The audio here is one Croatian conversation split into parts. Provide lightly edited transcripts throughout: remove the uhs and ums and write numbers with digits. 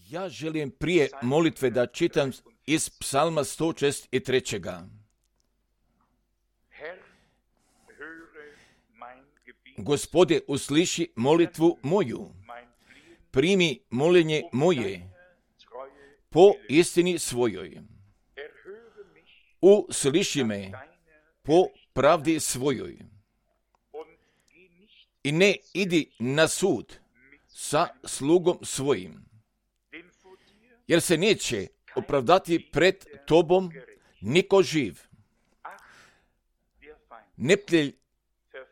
Ja želim prije molitve da čitam iz Psalma 163. Gospode, usliši molitvu moju, primi moljenje moje po istini svojoj. Usliši me po pravdi svojoj. I ne idi na sud sa slugom svojim, jer se neće opravdati pred tobom niko živ. Neprijatelj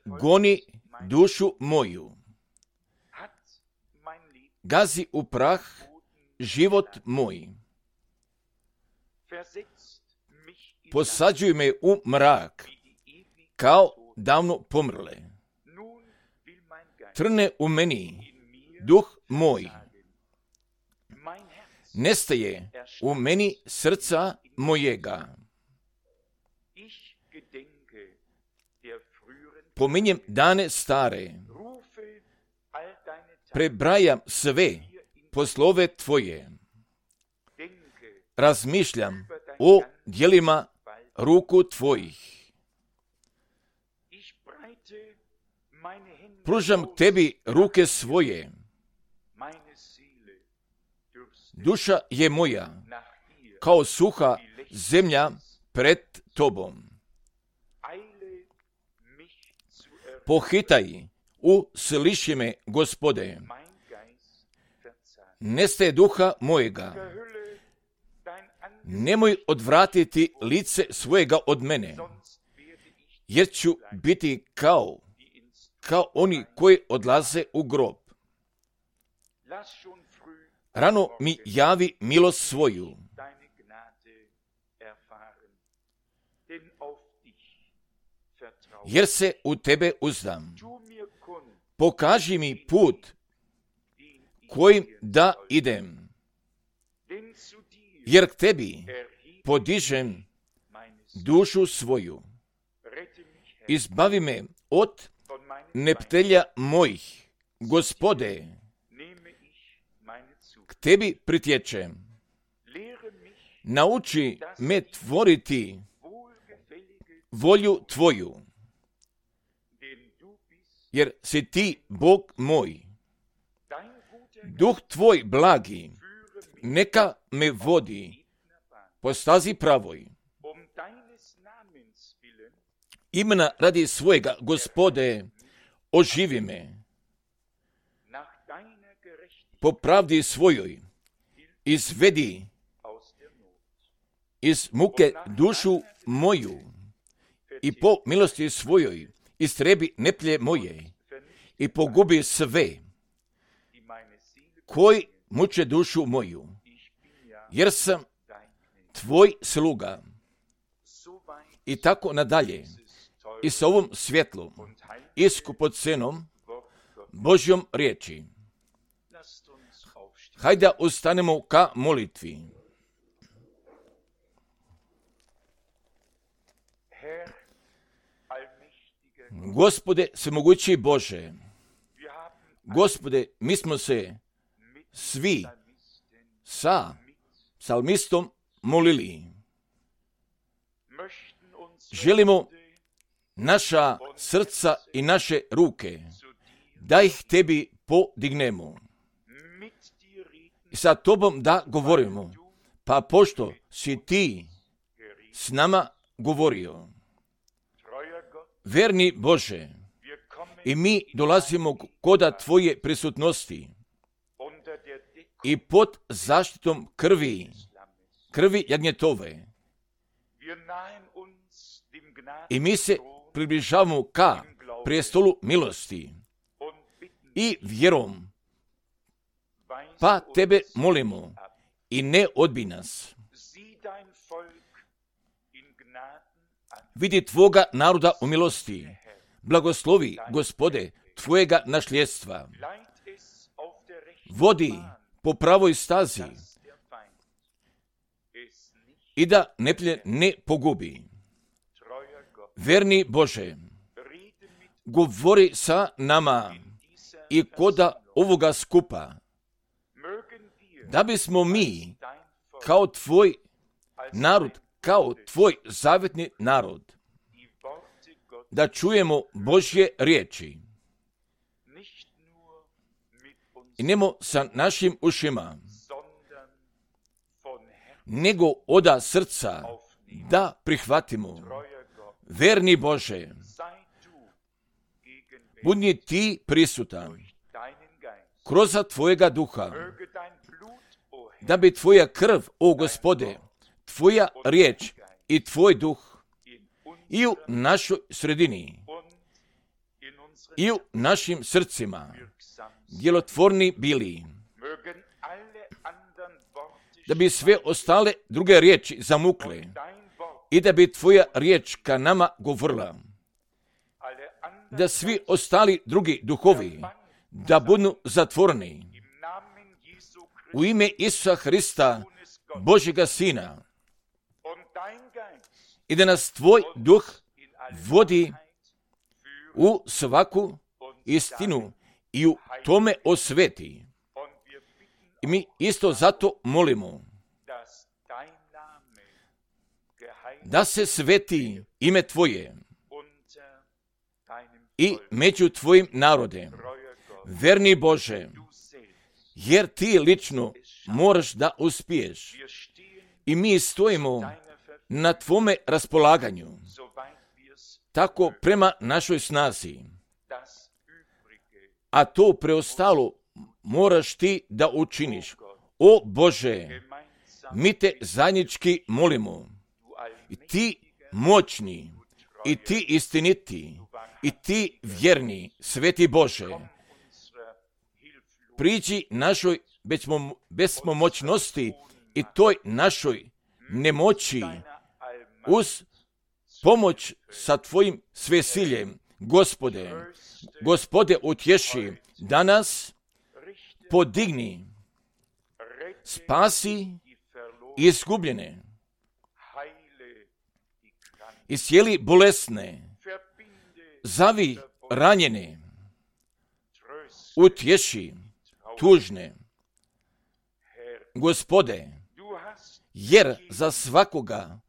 goni dušu moju, gazi u prah život moj. Posađuj me u mrak, kao davno pomrle. Trne u meni duh moj. Nestaje u meni srca mojega. Pominjem dane stare. Prebrajam sve poslove tvoje. Razmišljam o djelima ruku tvojih. Pružam tebi ruke svoje. Duša je moja kao suha zemlja pred tobom. Pohitaj, usliši me, Gospode. Nestaje duha mojega. Nemoj odvratiti lice svojega od mene, jer ću biti kao oni koji odlaze u grob. Rano mi javi milost svoju. Jer se u tebe uzdam. Pokaži mi put kojim da idem. Jer k tebi podižem dušu svoju. Izbavi me od neprijatelja mojih, Gospode. K tebi pritječem. Nauči me tvoriti volju tvoju, jer si ti Bog moj. Duh tvoj blagi, neka me vodi po stazi pravoj. Imena radi svojega, Gospode, oživi me. Po pravdi svojoj izvedi iz muke dušu moju i po milosti svojoj istrebi neplje moje i pogubi sve koji muče dušu moju, jer sam tvoj sluga. I tako nadalje. I s ovom svjetlom i skupocenom Božjom riječi. Hajde ustanemo ka molitvi. Gospode, svemogući Bože, Gospode, mi smo se svi sa psalmistom molili. Želimo naša srca i naše ruke, da ih tebi podignemo. I sa tobom da govorimo, pa pošto si ti s nama govorio. Verni Bože, i mi dolazimo koda tvoje prisutnosti i pod zaštitom krvi jagnjetove. I mi se približavamo ka prijestolu milosti i vjerom, pa tebe molimo i ne odbij nas. Vidi tvoga naroda u milosti. Blagoslovi, Gospode, tvojega nasljedstva. Vodi po pravoj stazi i da neprijatelj ne pogubi. Verni Bože, govori sa nama i koda ovoga skupa da bismo mi kao tvoj narod, kao tvoj zavetni narod, da čujemo Božje riječi. I nemo sa našim ušima, nego oda srca da prihvatimo. Verni Bože, budi ti prisutan kroz tvojega duha, da bi tvoja krv, o Gospode, tvoja riječ i tvoj duh i u našoj sredini i u našim srcima djelotvorni bili, da bi sve ostale druge riječi zamukle i da bi tvoja riječ ka nama govorila, da svi ostali drugi duhovi da budu zatvoreni u ime Isusa Hrista, Božjega Sina, i da nas tvoj duh vodi u svaku istinu i u tome osveti. I mi isto zato molimo da se sveti ime tvoje i među tvojim narodem, verni Bože, jer ti lično moraš da uspiješ. I mi stojimo na tvome raspolaganju, tako prema našoj snazi. A to preostalo moraš ti da učiniš. O Bože, mi te zajednički molimo. I ti moćni, i ti istiniti, i ti vjerni, sveti Bože, priđi našoj bespomoćnosti i toj našoj nemoći uz pomoć sa tvojim svesiljem. Gospode, utješi danas, podigni, spasi izgubljene, iscijeli bolesne, zavi ranjene, utješi tužne. Gospode, jer za svakoga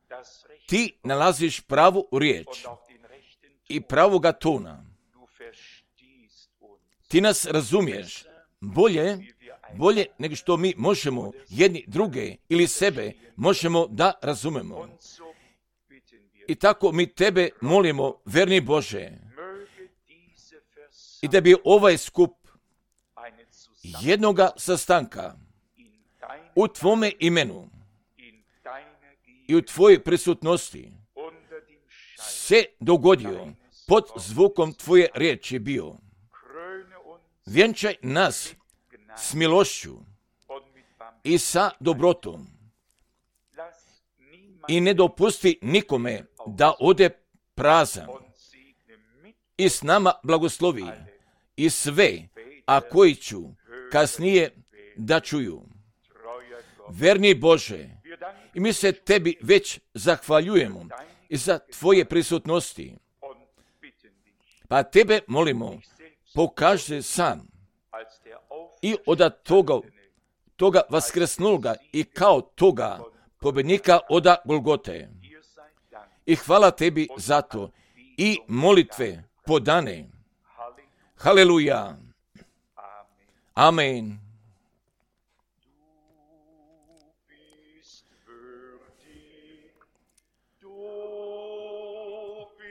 ti nalaziš pravu riječ i pravoga tona. Ti nas razumiješ bolje nego što mi možemo jedni druge ili sebe možemo da razumemo. I tako mi tebe molimo, verni Bože, i da bi ovaj skup jednoga sastanka u tvome imenu i u tvojoj prisutnosti se dogodio pod zvukom tvoje riječi bio. Vjenčaj nas s milošću i sa dobrotom i ne dopusti nikome da ode prazan i s nama blagoslovi i sve, a koji ću kasnije da čuju. Verni Bože, i mi se tebi već zahvaljujemo i za tvoje prisutnosti. Pa tebe molimo, pokaži se sam i od toga vaskresnuloga i kao toga pobjednika oda Golgote. I hvala tebi za to i molitve podane. Haleluja. Amen.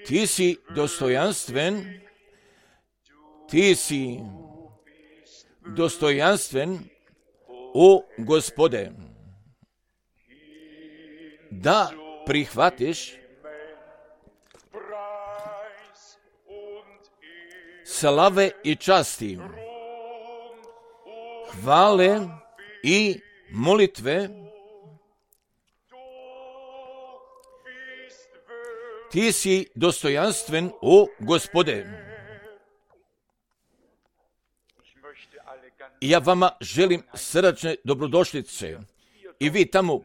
Ti si dostojanstven, o Gospode, da prihvatiš slave i časti, hvale i molitve. Ti si dostojanstven, o Gospode. Ja vama želim srdačne dobrodošlice. I vi tamo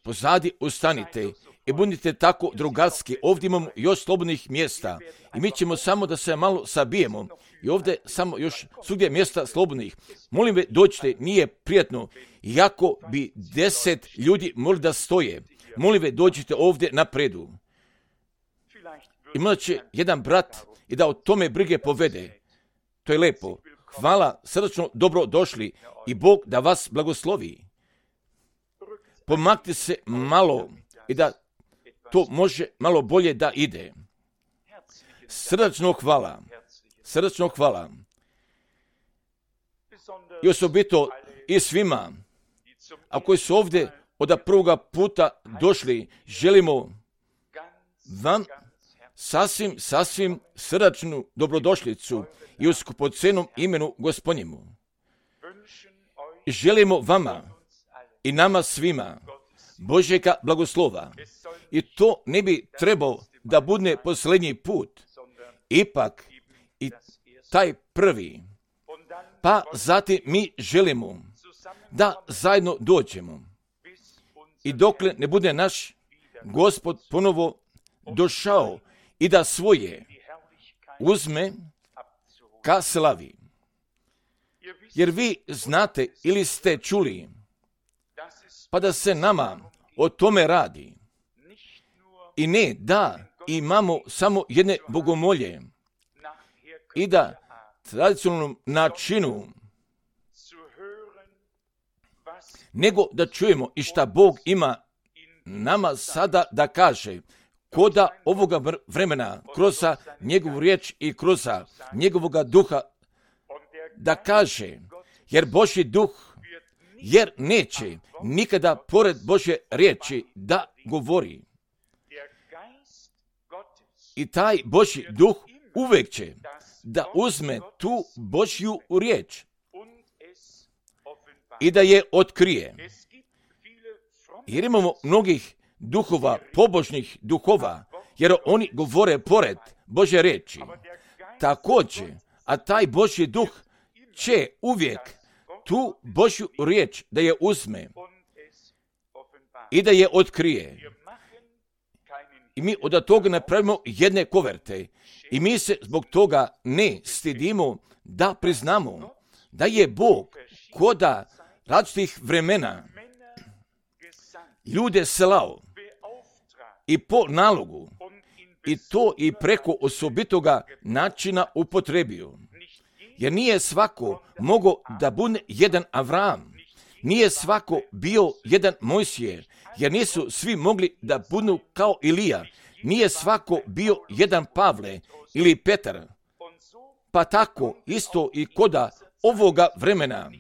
pozadi ustanite i budite tako drugarski. Ovdje imamo još slobodnih mjesta i mi ćemo samo da se malo sabijemo i ovdje samo još svugdje mjesta slobodnih. Molim ve, dođite, nije prijatno, iako bi 10 ljudi mogli da stoje. Molim ve, dođite ovdje napredu. I možda će jedan brat i da o tome brige povede. To je lepo. Hvala, srdačno dobro došli i Bog da vas blagoslovi. Pomaknite se malo i da to može malo bolje da ide. Srdačno hvala. Srdačno hvala. I osobito i svima, a koji su ovdje od prvoga puta došli, želimo vam sasvim srdačnu dobrodošlicu i u skupocenom imenu Gospodnjemu. Želimo vama i nama svima Božjega blagoslova. I to ne bi trebao da bude posljednji put, ipak i taj prvi. Pa zatim mi želimo da zajedno dođemo. I dokle ne bude naš Gospod ponovo došao i da svoje uzme ka slavi. Jer vi znate ili ste čuli, pa da se nama o tome radi. I ne da imamo samo jedne bogomolje i da tradicionalnom načinu, nego da čujemo i šta Bog ima nama sada da kaže, koda ovoga vremena, kroz njegovu riječ i kroz njegovoga duha, da kaže, jer Božji duh, jer neće nikada pored Božje riječi da govori. I taj Božji duh uvijek će da uzme tu Božju riječ i da je otkrije. Jer imamo mnogih duhova, pobožnih duhova, jer oni govore pored Božje riječi. Također, a taj Božji duh će uvijek tu Božju riječ da je uzme i da je otkrije. I mi od toga napravimo jedne koverte. I mi se zbog toga ne stidimo da priznamo da je Bog koda različitih vremena ljude slao i po nalogu i to i preko osobitoga načina upotrebio. Jer nije svako mogao da bude jedan Avram, nije svako bio jedan Mojsije, jer nisu svi mogli da budu kao Ilija, nije svako bio jedan Pavle ili Petar. Pa tako isto i koda ovoga vremena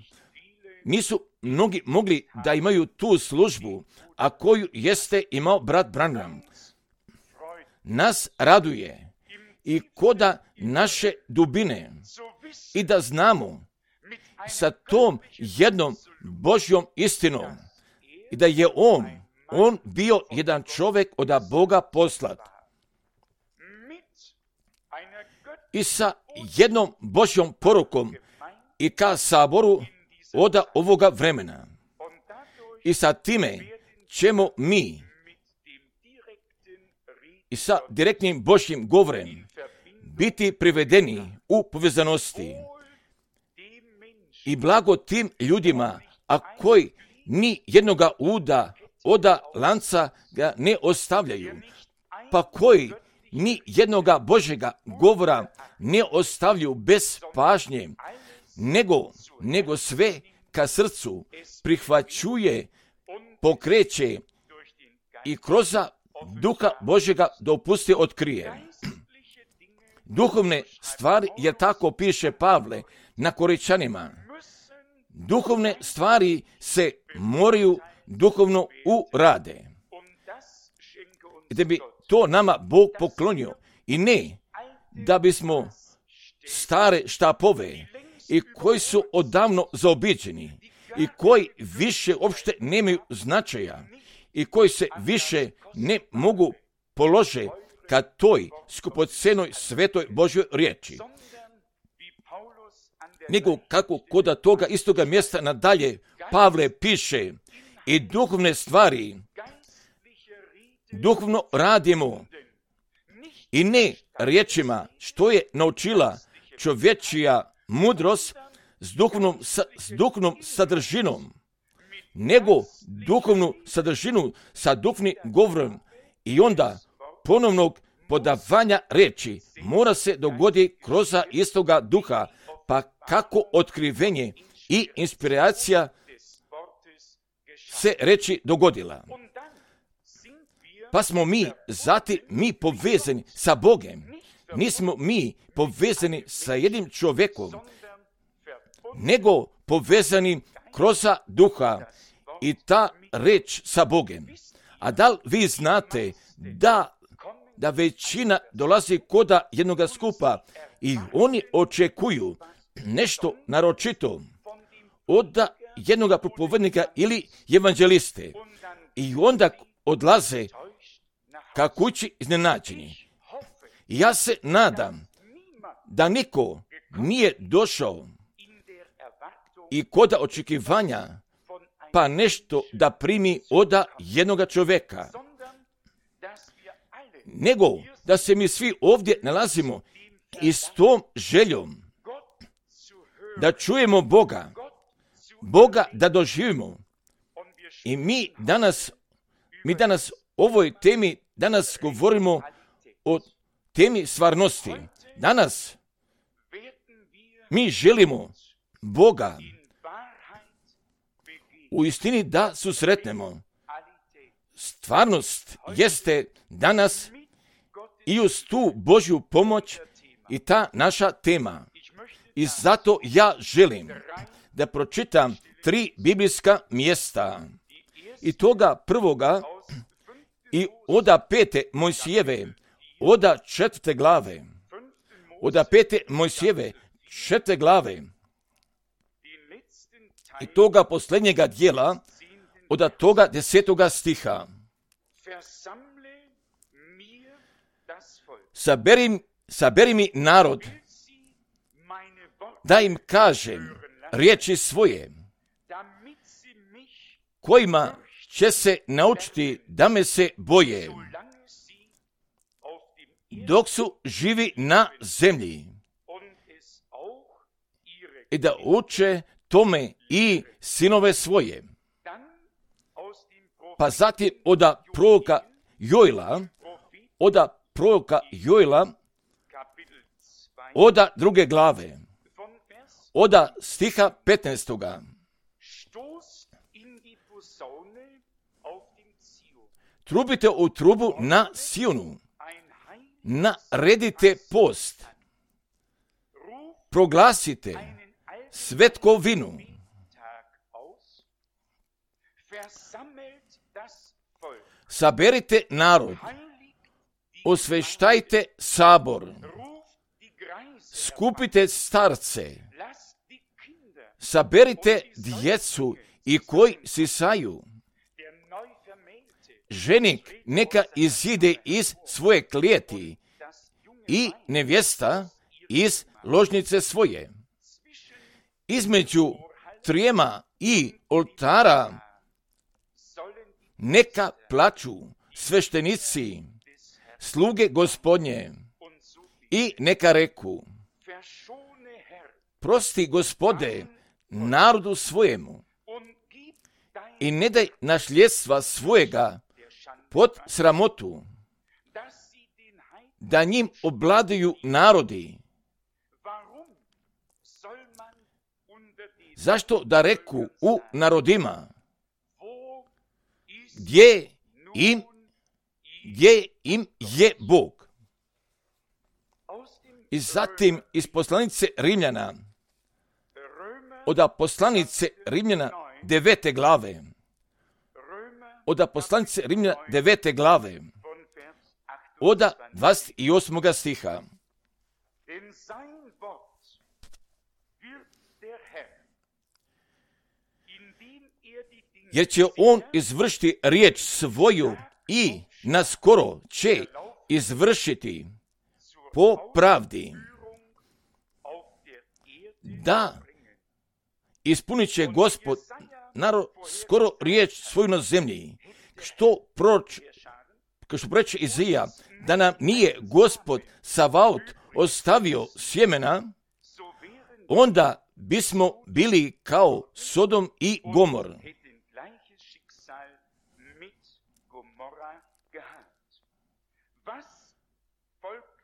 nisu mnogi mogli da imaju tu službu, a koju jeste imao brat Branham. Nas raduje i koda naše dubine i da znamo sa tom jednom Božjom istinom i da je on bio jedan čovjek od Boga poslat. I sa jednom Božjom porukom i ka saboru od ovoga vremena. I sa time ćemo mi i sa direktnim Božjim govorem biti privedeni u povezanosti. I blago tim ljudima, a koji ni jednoga uda od lanca ga ne ostavljaju, pa koji ni jednoga Božjega govora ne ostavljaju bez pažnje, nego sve ka srcu prihvaćuje, pokreće i kroz duha Božjega dopusti otkrije. Duhovne stvari, jer tako piše Pavle na Korinčanima, duhovne stvari se moraju duhovno urade. Da bi to nama Bog poklonio i ne da bismo stare štapove i koji su odavno zaobiđeni i koji više uopšte nemaju značaja i koji se više ne mogu polože ka toj skupocenoj svetoj Božjoj riječi. Nego kako kod toga istoga mjesta nadalje Pavle piše i duhovne stvari duhovno radimo i ne riječima što je naučila čovječija mudrost s duhovnom sadržinom, nego duhovnu sadržinu sa duhovnim govorom i onda ponovnog podavanja riječi mora se dogoditi kroz istoga duha, pa kako otkrivenje i inspiracija se reći dogodila. Pa smo mi povezani sa Bogom. Nismo mi povezani sa jednim čovjekom, nego povezani kroz duha i ta reč sa Bogom. A da li vi znate da većina dolazi koda jednoga skupa i oni očekuju nešto naročito od jednoga propovednika ili evanđeliste i onda odlaze ka kući iznenađeni. Ja se nadam da niko nije došao i koda očekivanja pa nešto da primi od jednoga čovjeka, nego da se mi svi ovdje nalazimo i s tom željom da čujemo Boga da doživimo. I mi danas ovoj temi danas govorimo o temi stvarnosti. Danas mi želimo Boga u istini da susretnemo. Stvarnost jeste danas i uz tu Božju pomoć i ta naša tema. I zato ja želim da pročitam 3 biblijska mjesta. I toga prvoga i oda 5. Mojsijeve, oda 4. glave. Oda 5. Mojsijeve, 4. glave. I toga posljednjega dijela, od toga 10. stiha. Saberi mi narod, da im kažem riječi svoje, kojima će se naučiti da me se boje, dok su živi na zemlji, i da uče tome i sinove svoje. Pa zatim od proroka Joela, od 2. glave, od stiha 15. Trubite u trubu na Sionu, naredite post, proglasite svetkovinu, saberite narod, osveštajte sabor, skupite starce, saberite djecu i koji sisaju. Ženik neka izide iz svoje klijeti i nevjesta iz ložnice svoje. Između trijema i oltara neka plaču sveštenici, sluge Gospodnje, i neka reku: prosti, Gospode, narodu svojemu i ne daj nasljedstva svojega pod sramotu, da njim obladaju narodi. Zašto da reku u narodima, gdje im je Bog? I zatim iz poslanice Rimljana, od poslanice Rimljana 9. glave, od poslanice Rimljana 9. glave, od 28. stiha. Jer će on izvršiti riječ svoju i naskoro će izvršiti po pravdi, da ispunit će Gospod skoro riječ svoju na zemlji, kao što reče Izija, da nam nije Gospod Savaot ostavio sjemena, onda bismo bili kao Sodom i Gomor.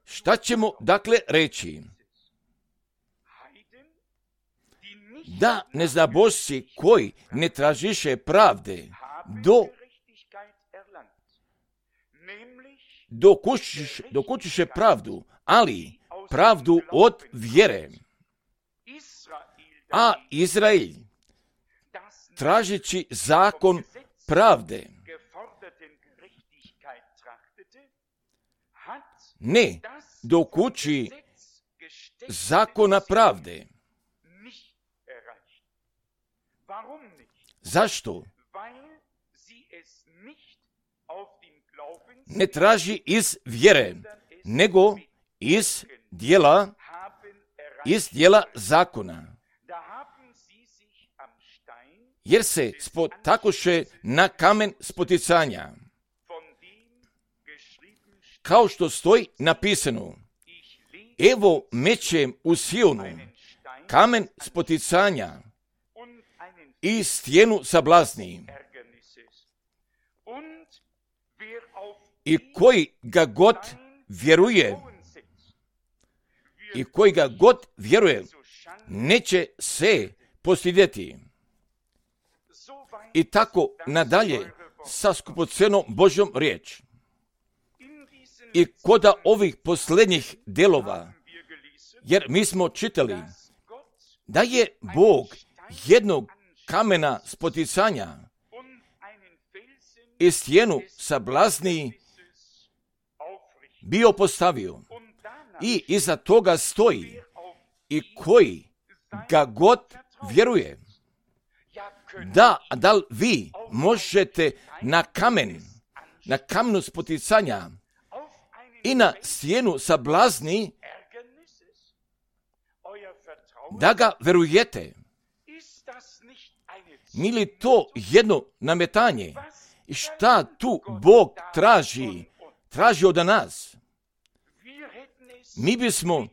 Šta ćemo dakle reći? Da neznabošci koji ne tražiše pravde, dokučiše pravdu, ali pravdu od vjere. A Izrael, tražeći zakon pravde, ne dokuči zakona pravde. Zašto? Ne traži iz vjere, nego iz dijela zakona. Jer se spotakoše na kamen spoticanja. Kao što stoji napisano, evo mećem u Sionu kamen spoticanja i stijenu sablazni. I koji ga god vjeruje, neće se postidjeti. I tako nadalje sa skupocenom Božjom riječ. I koda ovih posljednjih delova, jer mi smo čitali da je Bog jednog kamena spoticanja i stijenu sablazni bio postavio i iza toga stoji i koji ga god vjeruje. Da li vi možete na kamenu spoticanja i na stijenu sablazni da ga verujete? Nije li to jedno nametanje? I šta tu Bog traži od nas? Mi bismo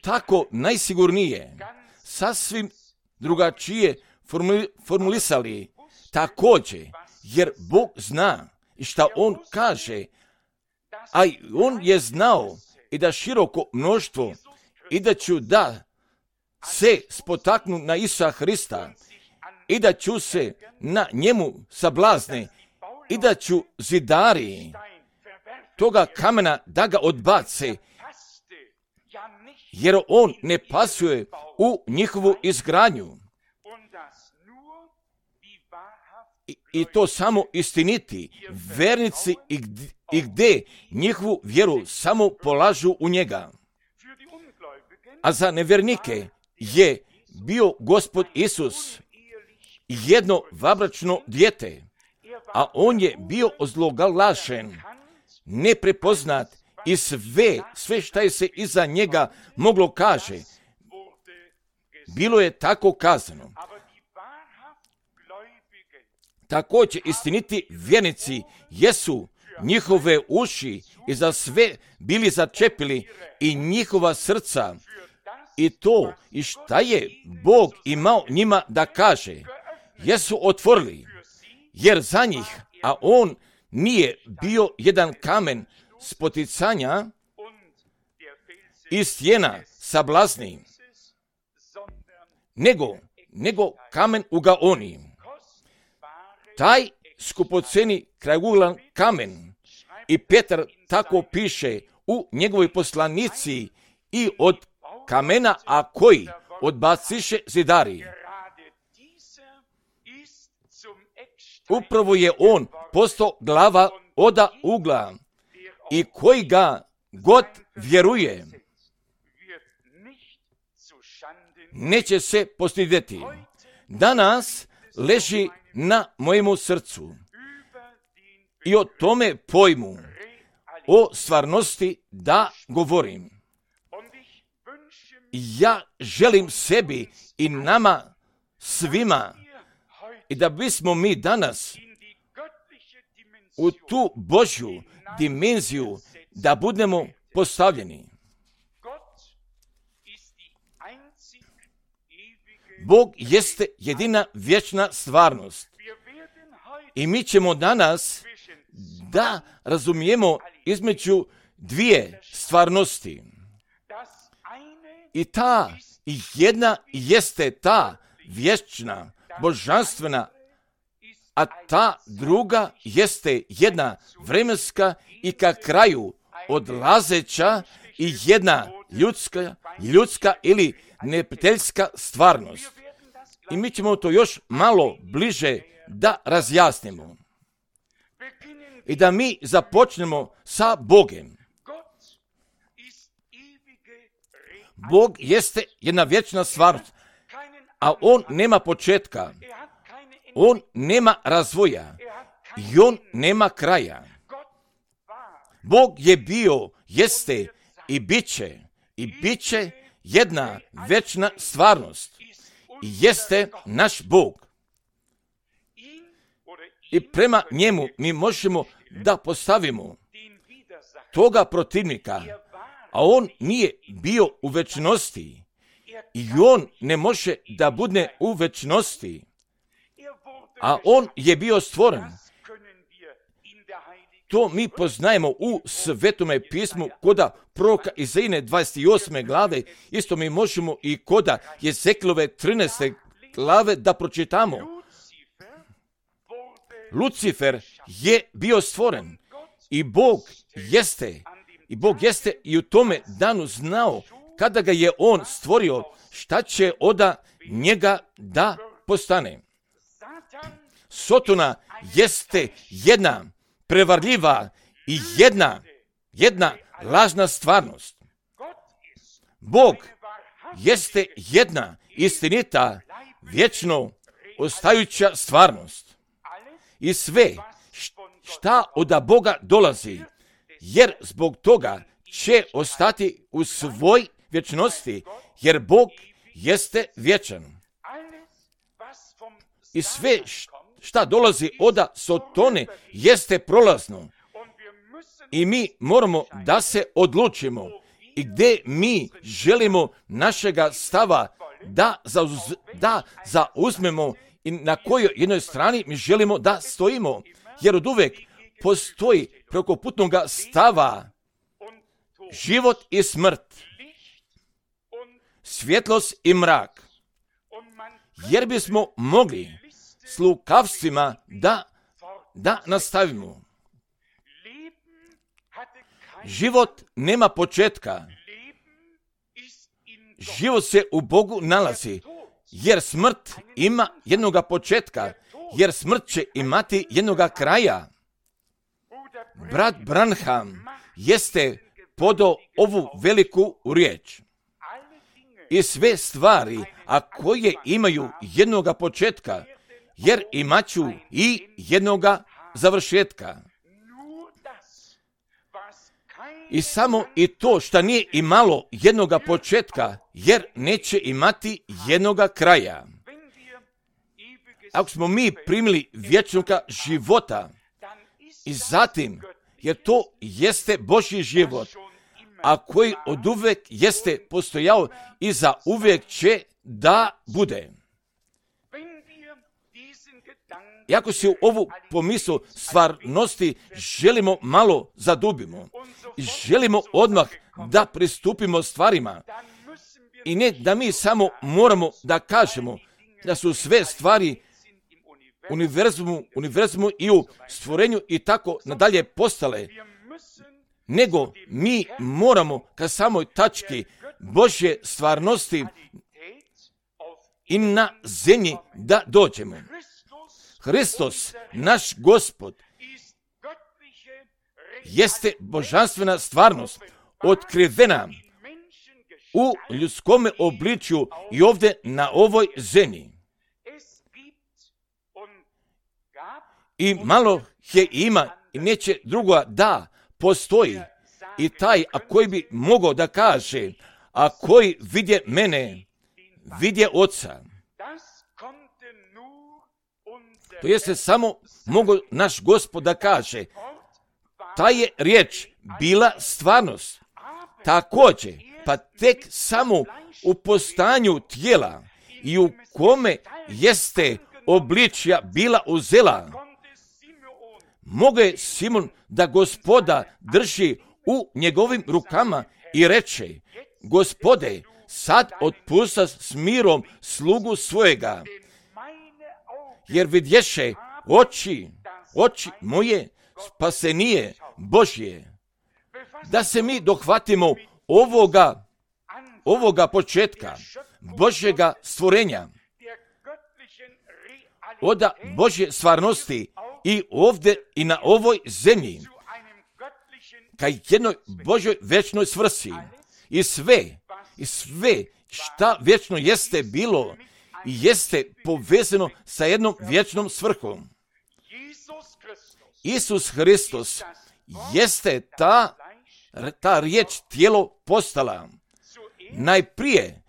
tako najsigurnije, sasvim drugačije formulisali također, jer Bog zna i šta On kaže, a On je znao i da široko mnoštvo i da ću da se spotaknu na Isusa Hrista i da ću se na njemu sablazne i da ću zidari toga kamena da ga odbace, jer on ne pasuje u njihovu izgradnju. I to samo istiniti vernici i gdje njihovu vjeru samo polažu u njega. A za nevjernike je bio Gospod Isus jedno vabračno dijete, a on je bio ozloglašen, neprepoznat i sve šta je se iza njega moglo kaže. Bilo je tako kazano. Također istiniti vjernici jesu njihove uši i za sve bili začepili i njihova srca i to i šta je Bog imao njima da kaže, jesu otvorili, jer za njih, a on nije bio jedan kamen spoticanja i stijena sablazni, nego kamen ugaoni. Taj skupoceni krajuglan kamen, i Petar tako piše u njegovoj poslanici, i od kamena, a koji odbaciše zidari. Upravo je on postao glava oda ugla i koji ga god vjeruje neće se postidjeti. Danas leži na mojemu srcu i o tome pojmu, o stvarnosti da govorim. Ja želim sebi i nama svima i da bismo mi danas u tu Božju dimenziju da budemo postavljeni. Bog jeste jedina vječna stvarnost. I mi ćemo danas da razumijemo između dvije stvarnosti. I ta jedna jeste ta vječna, božanstvena, a ta druga jeste jedna vremenska i ka kraju odlazeća i jedna ljudska ili neprijateljska stvarnost. I mi ćemo to još malo bliže da razjasnimo. I da mi započnemo sa Bogom. Bog jeste jedna vječna stvarnost, a On nema početka, On nema razvoja i On nema kraja. Bog je bio, jeste i bit će jedna vječna stvarnost i jeste naš Bog. I prema njemu mi možemo da postavimo toga protivnika, a on nije bio u večnosti i on ne može da bude u večnosti, a on je bio stvoren. To mi poznajemo u Svetome pismu koda proroka Izaije 28. glave, isto mi možemo i koda Jezekilove 13. glave da pročitamo. Lucifer je bio stvoren i Bog jeste i u tome danu znao kada ga je on stvorio šta će od njega da postane. Sotona jeste jedna prevarljiva i jedna lažna stvarnost. Bog jeste jedna istinita, vječno ostajuća stvarnost. I sve šta od Boga dolazi, jer zbog toga će ostati u svoj vječnosti, jer Bog jeste vječan. I sve šta dolazi od Sotone jeste prolazno. I mi moramo da se odlučimo i gdje mi želimo našega stava da zauzmemo i na kojoj jednoj strani mi želimo da stojimo. Jer od uvek postoji preko putnog stava život i smrt, svjetlost i mrak. Jer bismo mogli s lukavstvima da nastavimo. Život nema početka. Život se u Bogu nalazi, jer smrt ima jednoga početka, jer smrt će imati jednoga kraja. Brat Branham jeste podao ovu veliku riječ. I sve stvari, a koje imaju jednoga početka, jer imaću i jednoga završetka. I samo i to što nije imalo jednoga početka, jer neće imati jednoga kraja. Ako smo mi primili vječnoga života i zatim, jer to jeste Božji život, a koji od uvek jeste postojao i za uvijek će da bude. I ako se u ovu pomislu stvarnosti želimo malo zadubimo i želimo odmah da pristupimo stvarima i ne da mi samo moramo da kažemo da su sve stvari univerzumu i u stvorenju i tako nadalje postale, nego mi moramo ka samoj tački Božje stvarnosti i na zemlji da dođemo. Hristos, naš Gospod, jeste božanstvena stvarnost, otkrivena u ljudskome obličju i ovdje na ovoj zemlji. I malo je ima i neće drugo da postoji. I taj, a koji bi mogao da kaže, a koji vidje mene, vidje Oca. To jeste samo mogu naš Gospod da kaže. Ta je riječ bila stvarnost. Također, pa tek samo u postanju tijela i u kome jeste obličja bila uzela, mogo je Simon da Gospoda drži u njegovim rukama i reče: Gospode, sad otpusta s mirom slugu svojega, jer vidješe oči moje spasenije Božje. Da se mi dohvatimo ovoga početka Božjega stvorenja, od Božje stvarnosti i ovdje i na ovoj zemlji, ka jednoj Božjoj vječnoj svrsi. I sve šta vječno jeste bilo i jeste povezano sa jednom vječnom svrhom. Isus Hristos jeste ta riječ tijelo postala. Najprije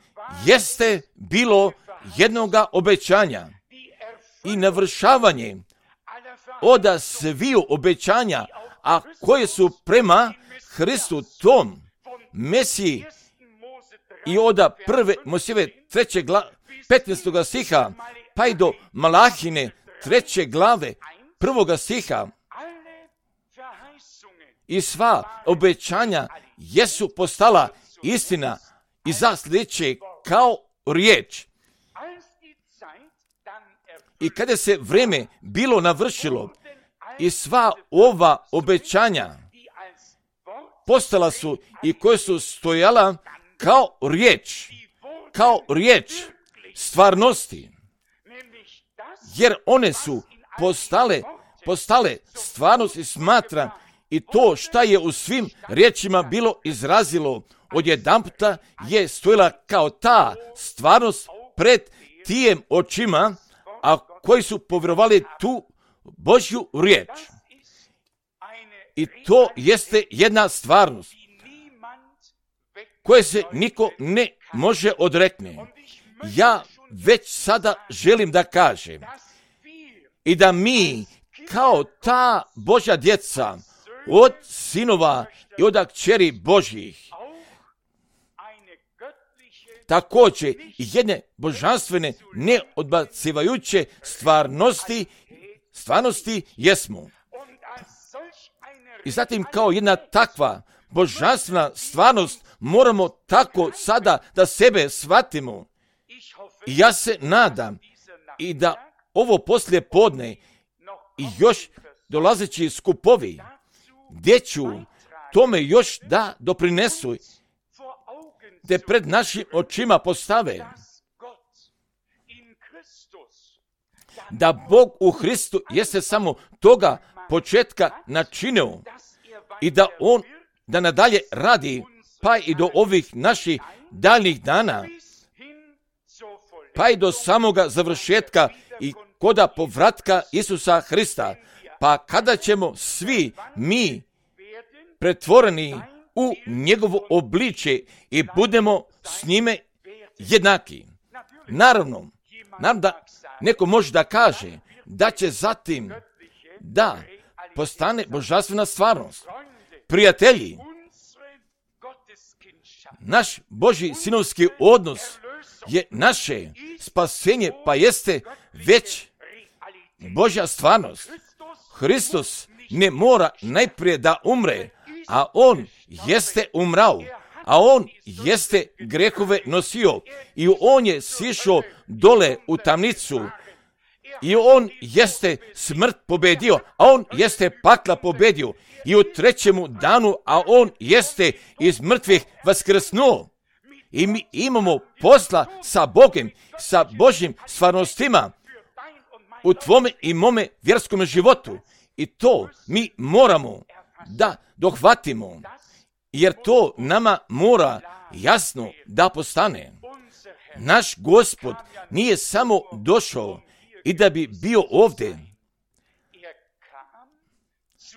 jeste bilo jednoga obećanja i navršavanje od sviju obećanja, a koje su prema Hristu tom Mesiji i od prve Mojsijeve 15. stiha pa i do Malahine 3. glave 1. stiha. I sva obećanja jesu postala istina i za sljedeće kao riječ. I kada se vrijeme bilo navršilo i sva ova obećanja postala su i koje su stojala kao riječ stvarnosti, jer one su postale stvarnost i smatram i to šta je u svim riječima bilo izrazilo odjedanputa je stojila kao ta stvarnost pred tijem očima, a koji su povjerovali tu Božju riječ. I to jeste jedna stvarnost koje se niko ne može odrekne. Ja već sada želim da kažem i da mi kao ta Božja djeca od sinova i od kćeri Božjih također jedne božanstvene neodbacivajuće stvarnosti jesmo. I zatim kao jedna takva božanstvena stvarnost moramo tako sada da sebe shvatimo. I ja se nadam i da ovo poslije podne i još dolazeći skupovi gdje ću tome još da doprinesu, te pred našim očima postave da Bog u Hristu jeste samo toga početka načinio i da On da nadalje radi pa i do ovih naših daljnjih dana, pa i do samoga završetka i koda povratka Isusa Hrista, pa kada ćemo svi mi pretvoreni u njegovo obličje i budemo s njime jednaki. Naravno da neko može da kaže da će zatim da postane božanstvena stvarnost. Prijatelji, naš Božji sinovski odnos je naše spasenje, pa jeste već Božja stvarnost. Hristos ne mora najprije da umre, a On jeste umrao, a On jeste grehove nosio i On je sišao dole u tamnicu i On jeste smrt pobedio, a On jeste pakla pobedio i u trećemu danu, a On jeste iz mrtvih vaskrsnuo. I mi imamo posla sa Bogom, sa Božjim stvarnostima u tvome i mome vjerskom životu. I to mi moramo da dohvatimo, jer to nama mora jasno da postane. Naš Gospod nije samo došao i da bi bio ovdje,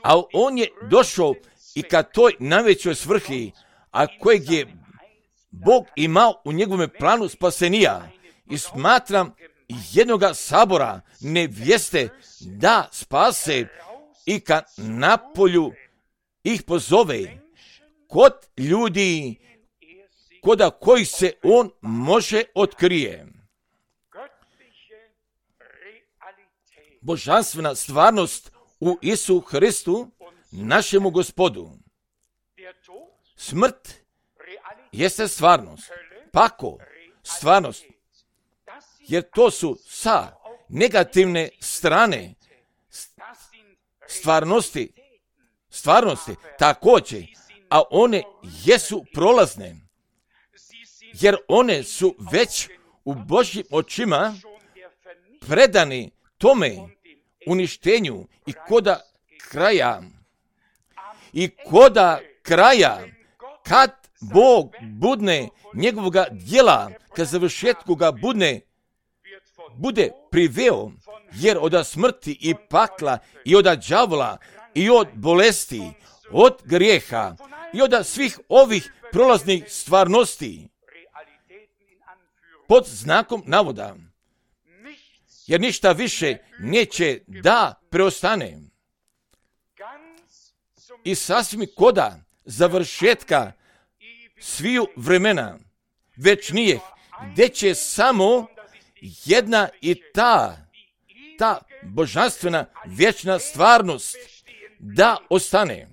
a On je došao i ka toj najvećoj svrhi, a kojeg je Bog imao u njegovom planu spasenija. I smatram jednoga sabora nevjeste da spase i ka napolju ih pozove kod ljudi koda kojih se on može otkrije. Božanstvena stvarnost u Isu Hristu, našemu Gospodu. Smrt jeste stvarnost, pakao stvarnost, jer to su sa negativne strane stvarnosti također, a one jesu prolazne, jer one su već u Božjim očima predani tome uništenju i koda kraja, kad Bog budne njegovoga djela, kad završetku ga bude priveo, jer od smrti i pakla i od đavola i od bolesti, od grijeha i od svih ovih prolaznih stvarnosti pod znakom navoda, jer ništa više neće da preostane. I sasvim koda završetka sviju vremena već nije, gdje će samo jedna i ta božanstvena vječna stvarnost da ostane.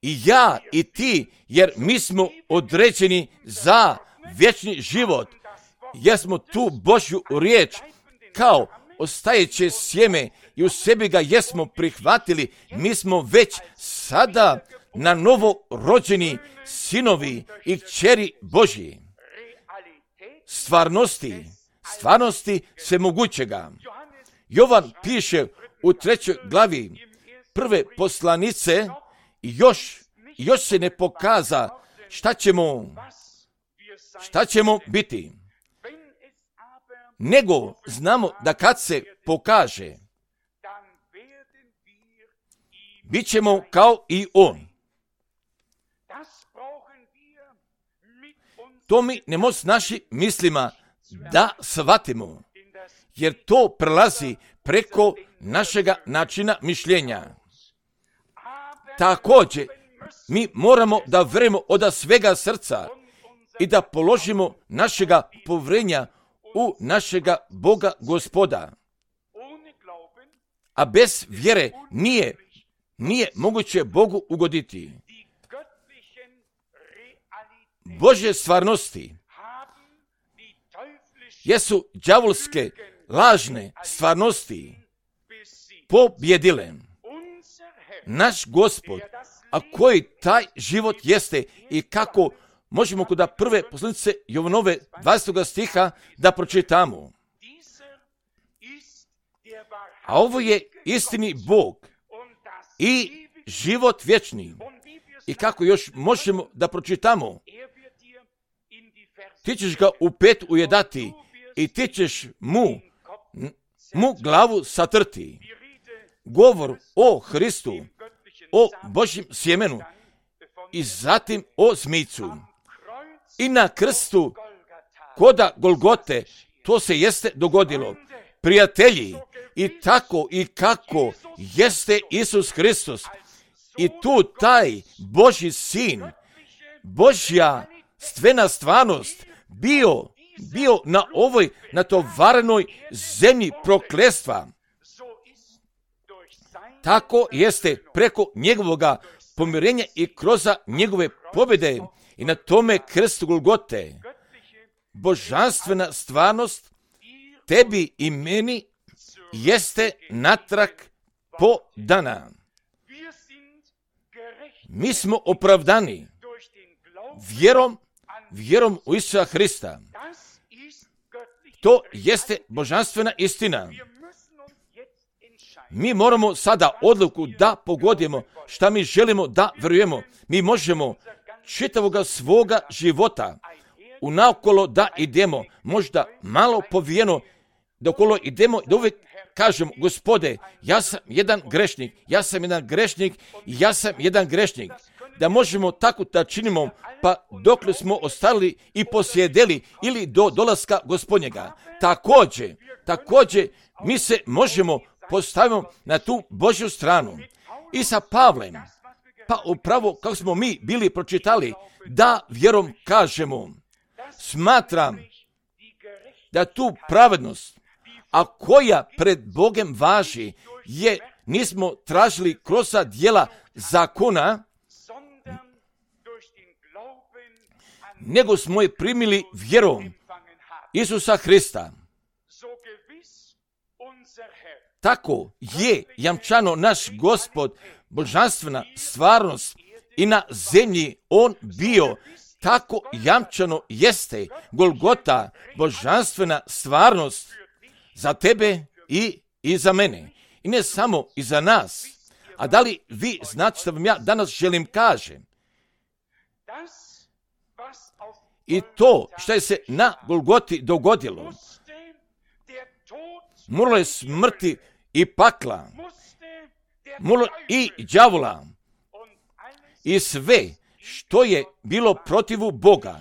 I ja i ti, jer mi smo određeni za vječni život, jer smo tu Božju riječ kao ostajeće sjeme i u sebi ga jesmo prihvatili, mi smo već sada na novo rođeni sinovi i kćeri Božji. Stvarnosti svemogućega. Jovan piše u 3. glavi prve poslanice, još se ne pokaza šta ćemo biti. Nego znamo da kad se pokaže, bit ćemo kao i on. To mi ne možemo s našim mislima da shvatimo, jer to prelazi preko našega načina mišljenja. Također, mi moramo da vjerujemo od svega srca i da položimo našega povjerenja u našega Boga Gospoda. A bez vjere nije moguće Bogu ugoditi. Božje stvarnosti jesu đavolske lažne stvarnosti pobjedile. Naš Gospod, a koji taj život jeste i kako možemo kod prve poslanice Jovanove 20. stiha da pročitamo. A ovo je istini Bog i život vječni. I kako još možemo da pročitamo? Ti ćeš ga u 5 ujedati i ti ćeš mu glavu satrti. Govor o Hristu, o Božjem sjemenu i zatim o zmijcu. I na krstu koda Golgote to se jeste dogodilo. Prijatelji, i tako i kako jeste Isus Hristos i tu taj Božji sin, Božja stvena stvarnost bio na ovoj natovarenoj zemlji prokletstva. Tako jeste preko njegovoga pomirenja i kroz njegove pobjede i na tome krstu Golgote. Božanstvena stvarnost tebi i meni jeste natrag podana. Mi smo opravdani vjerom u Isusa Hrista. To jeste božanstvena istina. Mi moramo sada odluku da pogodimo šta mi želimo da vjerujemo. Mi možemo čitavoga svoga života unaokolo da idemo, možda malo povijeno, da okolo idemo i da uvijek kažemo, Gospode, ja sam jedan grešnik. da možemo tako da činimo, pa dokle smo ostali i posjedeli ili do dolaska Gospodnjega. Također, mi se možemo postaviti na tu Božju stranu. I sa Pavlem, pa upravo kako smo mi bili pročitali, da vjerom kažemo, smatram da tu pravednost, a koja pred Bogem važi, je nismo tražili kroz djela zakona, nego smo je primili vjerom Isusa Hrista. Tako je jamčano naš Gospod, božanstvena stvarnost i na zemlji on bio, tako jamčano jeste Golgota, božanstvena stvarnost za tebe i za mene. I ne samo i za nas. A da li vi znate što vam ja danas želim kažem? I to što je se na Golgoti dogodilo, moralo je smrti i pakla, moralo i đavola, i sve što je bilo protivu Boga,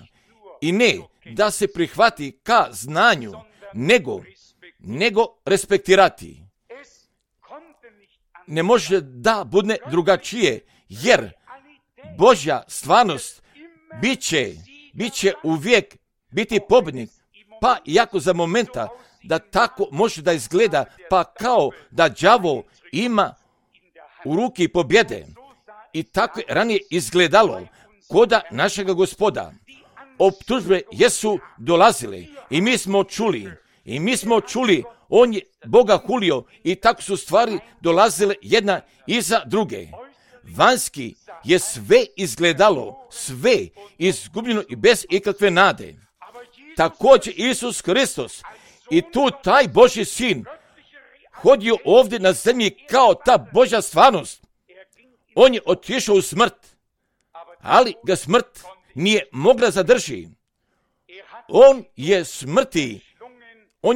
i ne da se prihvati ka znanju, nego respektirati. Ne može da bude drugačije, jer Božja stvarnost bit će uvijek biti pobjednik, pa iako za momenta da tako može da izgleda, pa kao da đavo ima u ruki pobjede. I tako je ranije izgledalo koda našega Gospoda. Optužbe jesu dolazile i mi smo čuli, on je Boga hulio i tako su stvari dolazile jedna iza druge. Vanjski je sve izgledalo, sve izgubljeno i bez ikakve nade. Također Isus Hristos i tu taj Božji sin hodio ovdje na zemlji kao ta Božja stvarnost. On je otišao u smrt, ali ga smrt nije mogla zadrži. On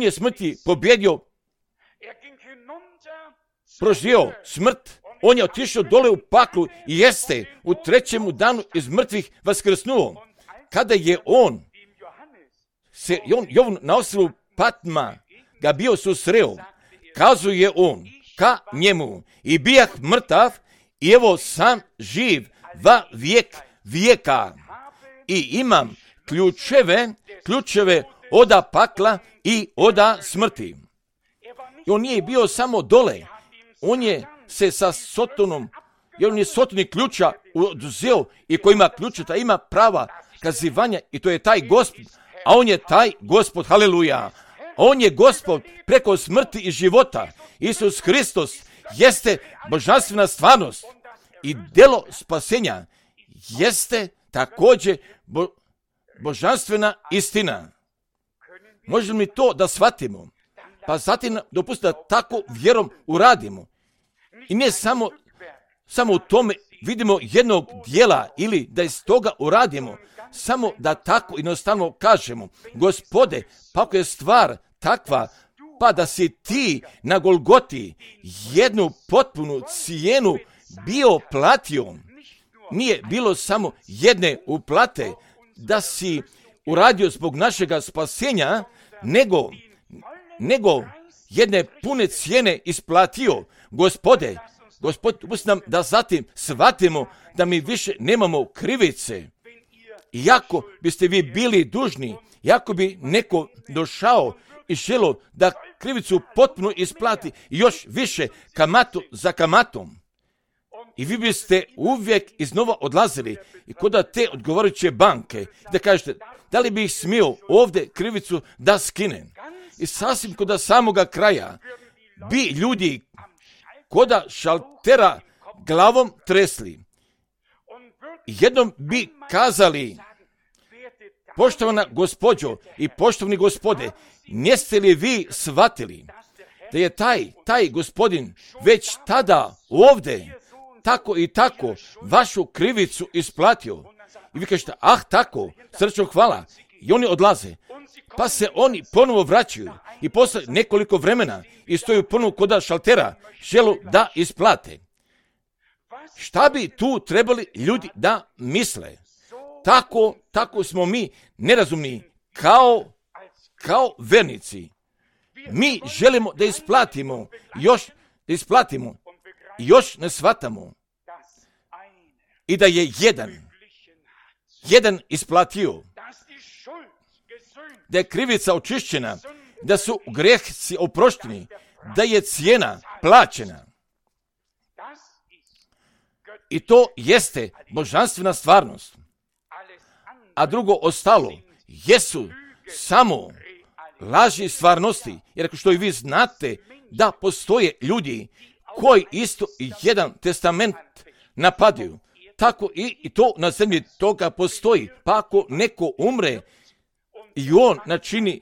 je smrti pobjedio, proživio smrt. On je otišao dole u paklu i jeste u trećemu danu iz mrtvih vaskrsnuo. Kada je on Jovan na ostrvu Patma ga bio susreo, kazuje on ka njemu, i bijah mrtav, i evo sam živ va vijek vijeka. I imam ključeve oda pakla i oda smrti. I on nije bio samo dole, on je se sa Sotonom, jer on je Sotoni ključa oduzeo, i ko ima ključa, ima prava kazivanja, i to je taj Gospod, a on je taj Gospod, haleluja. On je Gospod preko smrti i života. Isus Hristos jeste božanstvena stvarnost i delo spasenja jeste također božanstvena istina. Možemo li to da shvatimo? Pa zatim dopustite da tako vjerom uradimo. I ne samo u tome vidimo jednog dijela ili da iz toga uradimo, samo da tako jednostavno kažemo, Gospode, pa ako je stvar takva, pa da si ti na Golgoti jednu potpunu cijenu bio platio, nije bilo samo jedne uplate da si uradio zbog našega spasenja, nego jedne pune cijene isplatio. Gospode, pusti nam da zatim shvatimo da mi više nemamo krivice. Iako biste vi bili dužni, iako bi neko došao i želo da krivicu potpuno isplati još više kamatu za kamatom, i vi biste uvijek iznova odlazili i kod te odgovarajuće banke da kažete, da li bih smio ovdje krivicu da skinem. I sasvim kod samoga kraja bi ljudi koda šaltera glavom tresli. Jednom bi kazali, poštovana gospođo i poštovni gospode, niste li vi shvatili da je taj gospodin već tada ovdje tako i tako vašu krivicu isplatio? I vi kažete, tako, srčno hvala. I oni odlaze. Pa se oni ponovo vraćaju i posle nekoliko vremena i stoju ponovo kod šaltera, želu da isplate. šta bi tu trebali ljudi da misle? Tako smo mi nerazumni, kao vernici. Mi želimo da isplatimo, još ne shvatamo. I da je jedan isplatio, da je krivica očišćena, da su grehci oprošteni, da je cijena plaćena. I to jeste božanstvena stvarnost. A drugo ostalo jesu samo laži stvarnosti. Jer ako što i vi znate da postoje ljudi koji isto jedan testament napadaju, tako i to na zemlji toga postoji. Pa ako neko umre i on načini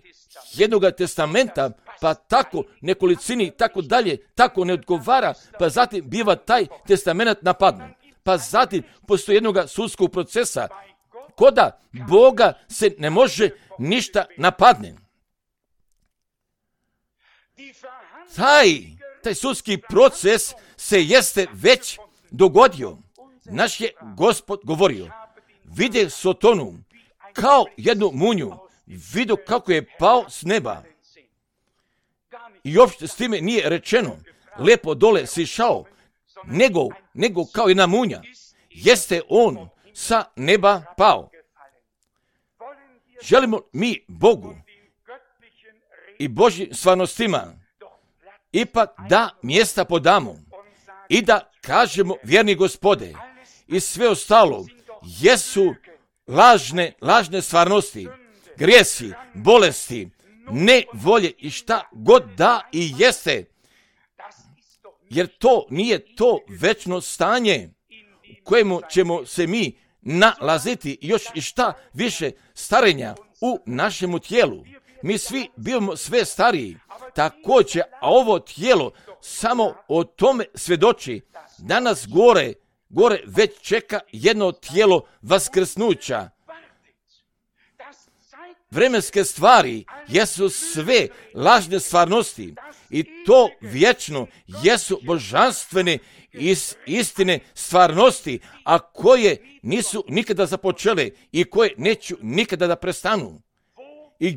jednoga testamenta, pa tako nekolicini, tako dalje, tako ne odgovara, pa zatim biva taj testament napadnut. Pa zatim postoji jednoga sudskog procesa, koda Boga se ne može ništa napadne. Taj sudski proces se jeste već dogodio. Naš je Gospod govorio, vide Sotonu kao jednu munju, vidio kako je pao s neba. I uopšte s time nije rečeno, lepo dole sišao, nego kao jedna munja. Jeste on sa neba pao. Želimo mi Bogu i Božjim stvarnostima ipak da mjesta podamo i da kažemo, vjerni Gospode, i sve ostalo jesu lažne stvarnosti, grijesi, bolesti, nevolje i šta god da i jeste. Jer to nije to večno stanje u kojemu ćemo se mi nalaziti još i šta više starenja u našemu tijelu. Mi svi bivamo sve stariji, također, a ovo tijelo samo o tome svjedoči. Danas gore već čeka jedno tijelo vaskrsnuća. Vremenske stvari jesu sve lažne stvarnosti i to vječno jesu božanstvene istine stvarnosti, a koje nisu nikada započele i koje neću nikada da prestanu. I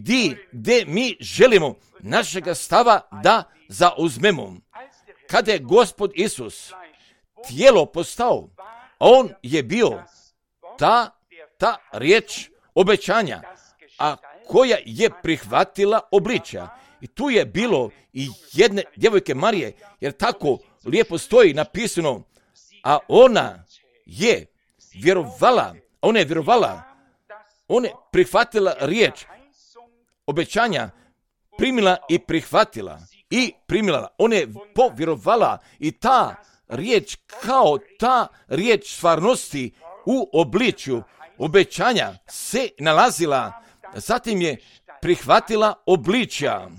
gdje mi želimo našega stava da zauzmemo. Kada je Gospod Isus tijelo postao, on je bio ta riječ obećanja, a koja je prihvatila obličja. I tu je bilo i jedne djevojke Marije, jer tako lijepo stoji napisano, a ona je vjerovala, ona je prihvatila riječ obećanja, primila i prihvatila i primila. Ona je povjerovala i ta riječ kao ta riječ stvarnosti u obličju obećanja se nalazila. Zatim je prihvatila obličja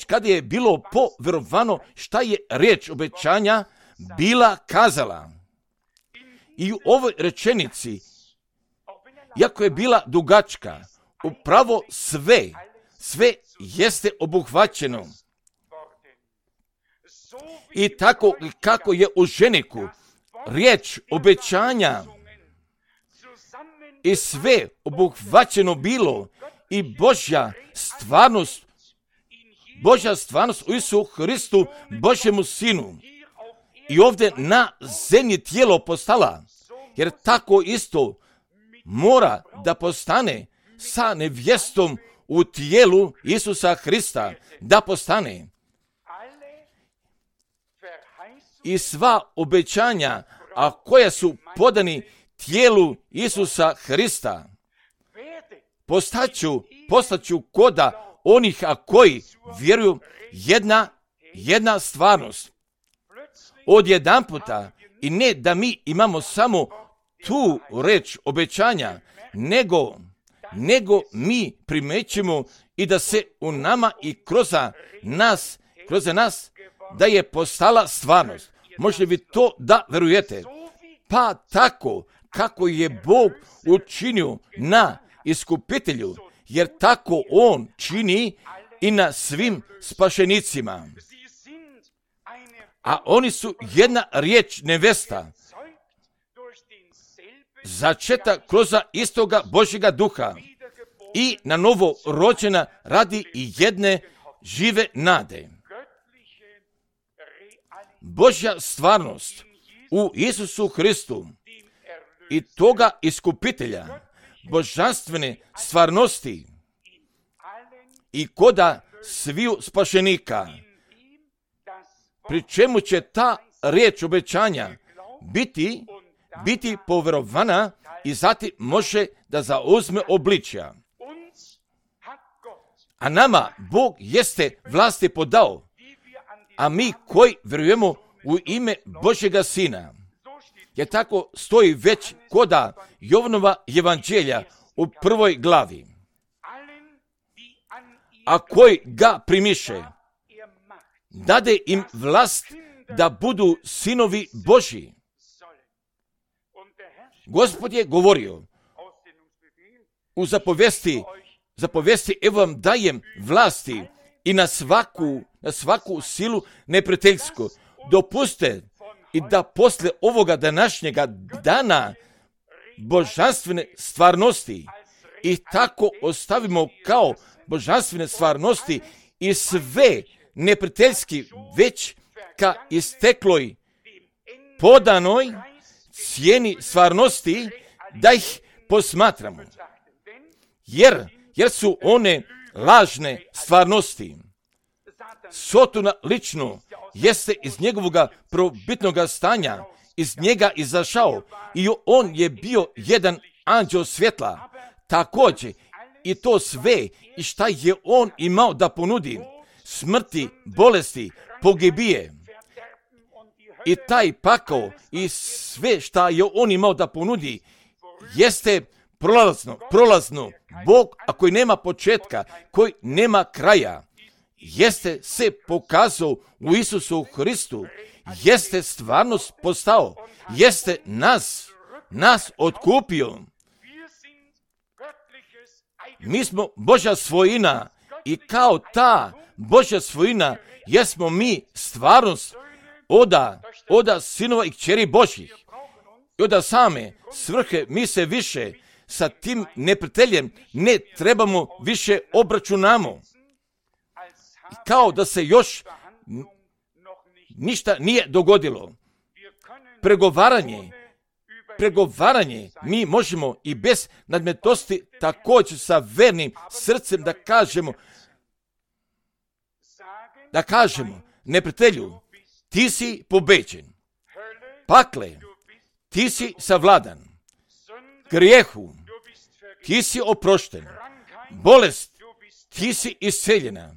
kada je bilo povjerovano šta je riječ obećanja bila kazala. I u ovoj rečenici, iako je bila dugačka, upravo sve jeste obuhvaćeno. I tako kako je u ženiku riječ obećanja i sve obuhvaćeno bilo i Božja stvarnost u Isusu Hristu, Božjemu Sinu. I ovdje na zemlji tijelo postala, jer tako isto mora da postane sa nevjestom u tijelu Isusa Hrista, da postane. I sva obećanja, a koja su podani tijelu Isusa Hrista, postaću koda onih, a koji vjeruju, jedna stvarnost. Odjedanputa, i ne da mi imamo samo tu reč obećanja, nego mi primećemo i da se u nama i kroz nas da je postala stvarnost. Možete vi to da verujete? Pa tako kako je Bog učinio na iskupitelju, jer tako on čini i na svim spašenicima. a oni su jedna riječ nevesta, začeta kroz istoga Božjega duha i na novo rođena radi i jedne žive nade. Božja stvarnost u Isusu Hristu i toga iskupitelja, božanstvene stvarnosti i koda sviju spašenika, pri čemu će ta riječ obećanja biti poverovana i zatim može da zauzme obličja. A nama Bog jeste vlasti podao, a mi koji vjerujemo u ime Božjega Sina, jer tako stoji već koda Jovanova evanđelja u 1. glavi. A koji ga primiše, dade im vlast da budu sinovi Božji. Gospod je govorio u zapovesti, evo vam dajem vlasti i na svaku silu neprijateljsku. Dopuste i da posle ovoga današnjega dana božanstvene stvarnosti i tako ostavimo kao božanstvene stvarnosti i sve neprijateljski već ka istekloj podanoj cijeni stvarnosti da ih posmatramo. Jer su one lažne stvarnosti. Sotona lično jeste iz njegovoga probitnog stanja, iz njega izašao i on je bio jedan anđeo svjetla. Također i to sve i šta je on imao da ponudi, smrti, bolesti, pogibije. I taj pakao i sve šta je on imao da ponudi jeste prolazno. Bog, a koji nema početka, koji nema kraja, jeste se pokazao u Isusu Hristu, jeste stvarnost postao, jeste nas otkupio. Mi smo Božja svojina i kao ta Božja svojina jesmo mi stvarnost oda sinova i kćeri Božjih. I oda same svrhe mi se više sa tim neprijateljem ne trebamo više obračunamo. I kao da se još ništa nije dogodilo. Pregovaranje mi možemo i bez nadmetosti također sa vernim srcem da kažemo neprijatelju, ti si pobeđen. Pakle, ti si savladan. Grijehu, ti si oprošten. Bolest, ti si isceljena.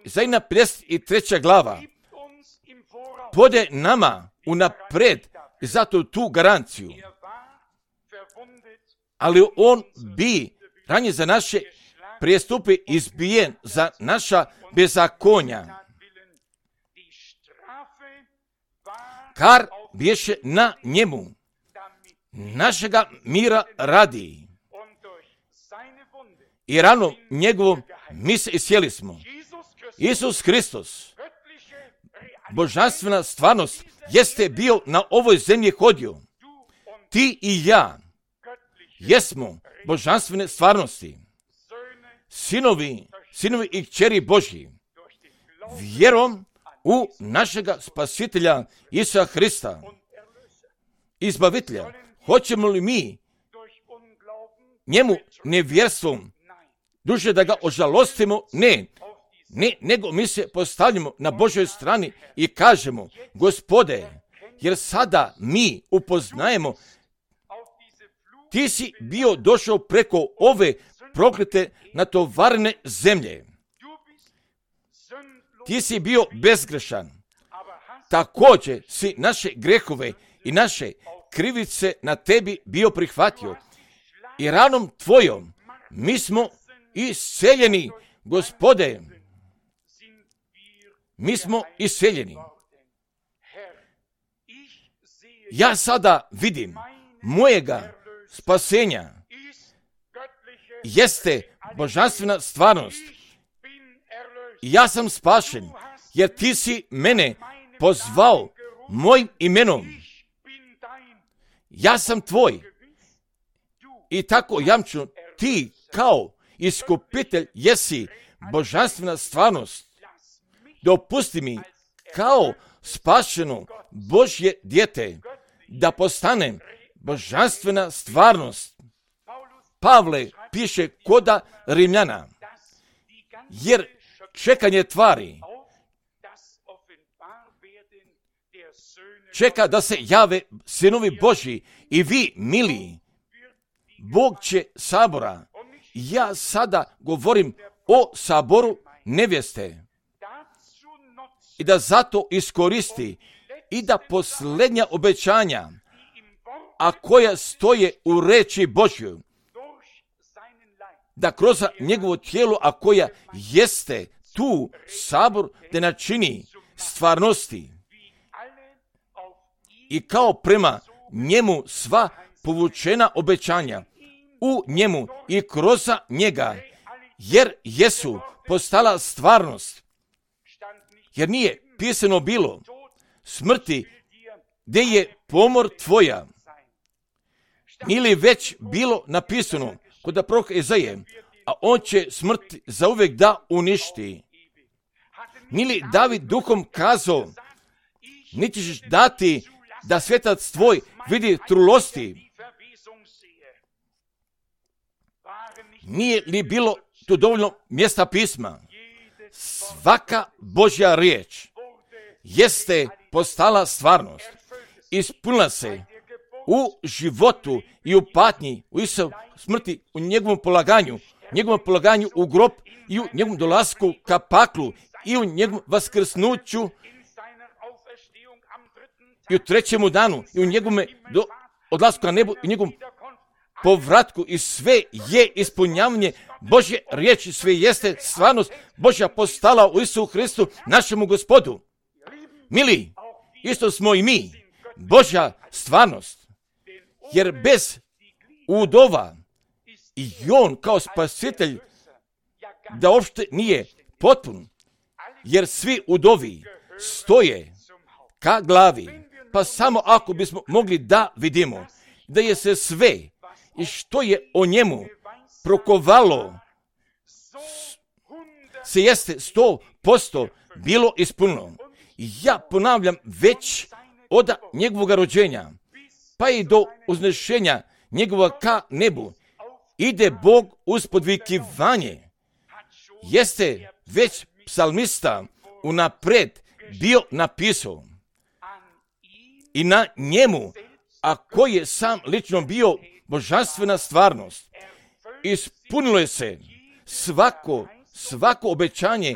Izaja 53. glava pode nama unapred i zato tu garanciju. Ali on bi ranije za naše prijestupe izbijen, za naša bezakonja. Kar bješe na njemu, našega mira radi. I rano njegovom mi se iscijeli smo. Isus Hristos, božanstvena stvarnost, jeste bio na ovoj zemlji hodio. Ti i ja jesmo božanstvene stvarnosti, sinovi i kćeri Božji, vjerom u našega spasitelja Isusa Hrista, izbavitelja. Hoćemo li mi njemu nevjerstvom duže da ga ožalostimo? Ne, nego mi se postavljamo na Božoj strani i kažemo, Gospode, jer sada mi upoznajemo, ti si bio došao preko ove proklete natovarene zemlje. Ti si bio bezgrešan. Također si naše grehove i naše krivice na tebi bio prihvatio. I ranom tvojom mi smo isceljeni, Gospode. Mi smo isceljeni. Ja sada vidim mojega spasenja jeste božanstvena stvarnost. Ja sam spašen. jer ti si mene pozvao mojim imenom. Ja sam tvoj. I tako jamču, ti kao iskupitelj jesi božanstvena stvarnost. Dopusti mi kao spašeno Božje dijete da postanem božanstvena stvarnost. Pavle piše koda Rimljana, jer čekanje tvari čeka da se jave sinovi Božji i vi, mili, Bog će sabora. Ja sada govorim o saboru nevjeste i da zato iskoristi i da posljednja obećanja, a koja stoje u reči Božju, da kroz njegovo tijelo, a koja jeste tu sabor, da načini stvarnosti i kao prema njemu sva povučena obećanja u njemu i kroz njega, jer jesu postala stvarnost. Jer nije pisano bilo smrti gdje je pomor tvoja, ili već bilo napisano kod proroka Izaije, a on će smrt zauvijek da uništi. Nili David duhom kazao, niti ćeš dati da svetac tvoj vidi trulosti. Nije li bilo tu dovoljno mjesta pisma? Svaka Božja riječ jeste postala stvarnost. Ispunila se u životu i u patnji, u Isusovoj smrti, u njegovom polaganju u grob i u njegovom dolasku ka paklu i u njegovom vaskrsnuću i u trećemu danu i u njegovom odlasku na nebu i u njegovom povratku, i sve je ispunjavanje Božje riječi, sve jeste stvarnost Božja postala u Isusu Hristu, našemu Gospodu. Mili, isto smo i mi, Božja stvarnost, jer bez udova i on kao spasitelj da uopšte nije potpun, jer svi udovi stoje ka glavi, pa samo ako bismo mogli da vidimo da je se sve i što je o njemu prokovalo se jeste 100% bilo ispunilo. Ja ponavljam, već od njegovog rođenja pa i do uznešenja njegova ka nebu ide Bog uz podvikivanje. Jeste već psalmista unapred bio napisao i na njemu, a koji je sam lično bio božanstvena stvarnost, ispunilo je se svako obećanje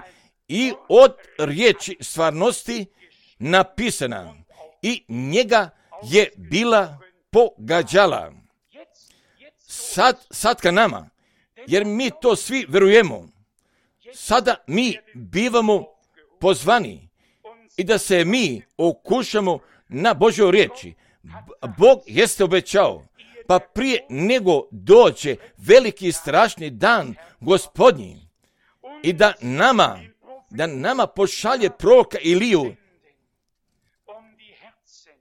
i od riječi stvarnosti napisana i njega je bila pogađala. Sad ka nama, jer mi to svi verujemo, sada mi bivamo pozvani i da se mi okušamo na Božjoj riječi. Bog jeste obećao, pa prije nego dođe veliki strašni dan Gospodnji i da nama pošalje proroka Iliju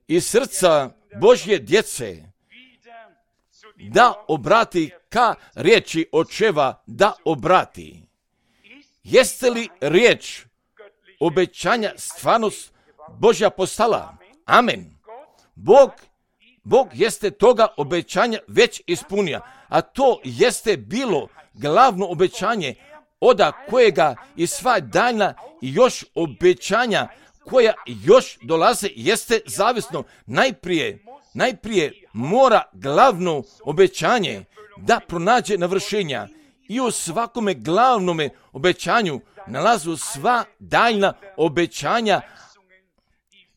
iz srca Božje djece, da obrati ka riječi očeva, da obrati. Jeste li riječ obećanja stvarnost Božja postala? Amen. Bog jeste toga obećanja već ispunio, a to jeste bilo glavno obećanje od kojega i sva daljna i još obećanja koja još dolaze jeste zavisno. Najprije mora glavno obećanje da pronađe navršenja i u svakome glavnome obećanju nalazu sva daljna obećanja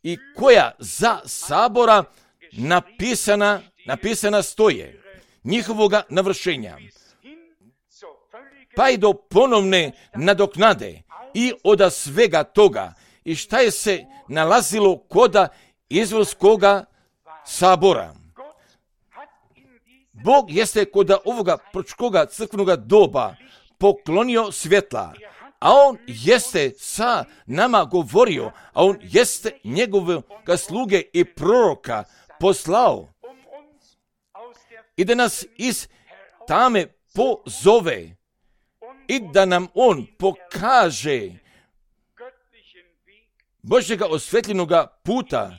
i koja za sabora napisana stoje njihovoga navršenja, pa i do ponovne nadoknade i od svega toga i šta je se nalazilo koda izraelskoga sabora. Bog jeste kod ovoga proročkoga crkvenoga doba poklonio svjetla. a on jeste sa nama govorio, a on jeste njegovoga sluge i proroka poslao i da nas iz tame pozove i da nam on pokaže Božjega osvetljenoga puta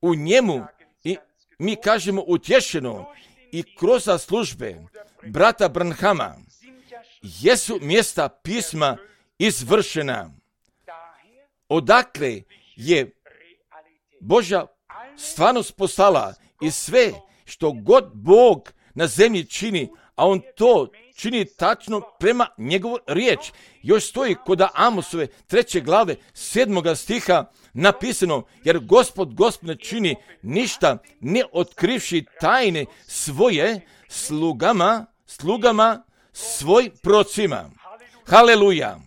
u njemu i mi kažemo utješeno i kroz službe brata Branhama jesu mjesta pisma izvršena. Odakle je Božja stvarnost poslala i sve što god Bog na zemlji čini, a on to čini tačno prema njegovu riječ. Još stoji kod Amosove 3. glave 7. stiha napisano, jer Gospod ne čini ništa ne otkrivši tajne svoje slugama svoj procima. Haleluja!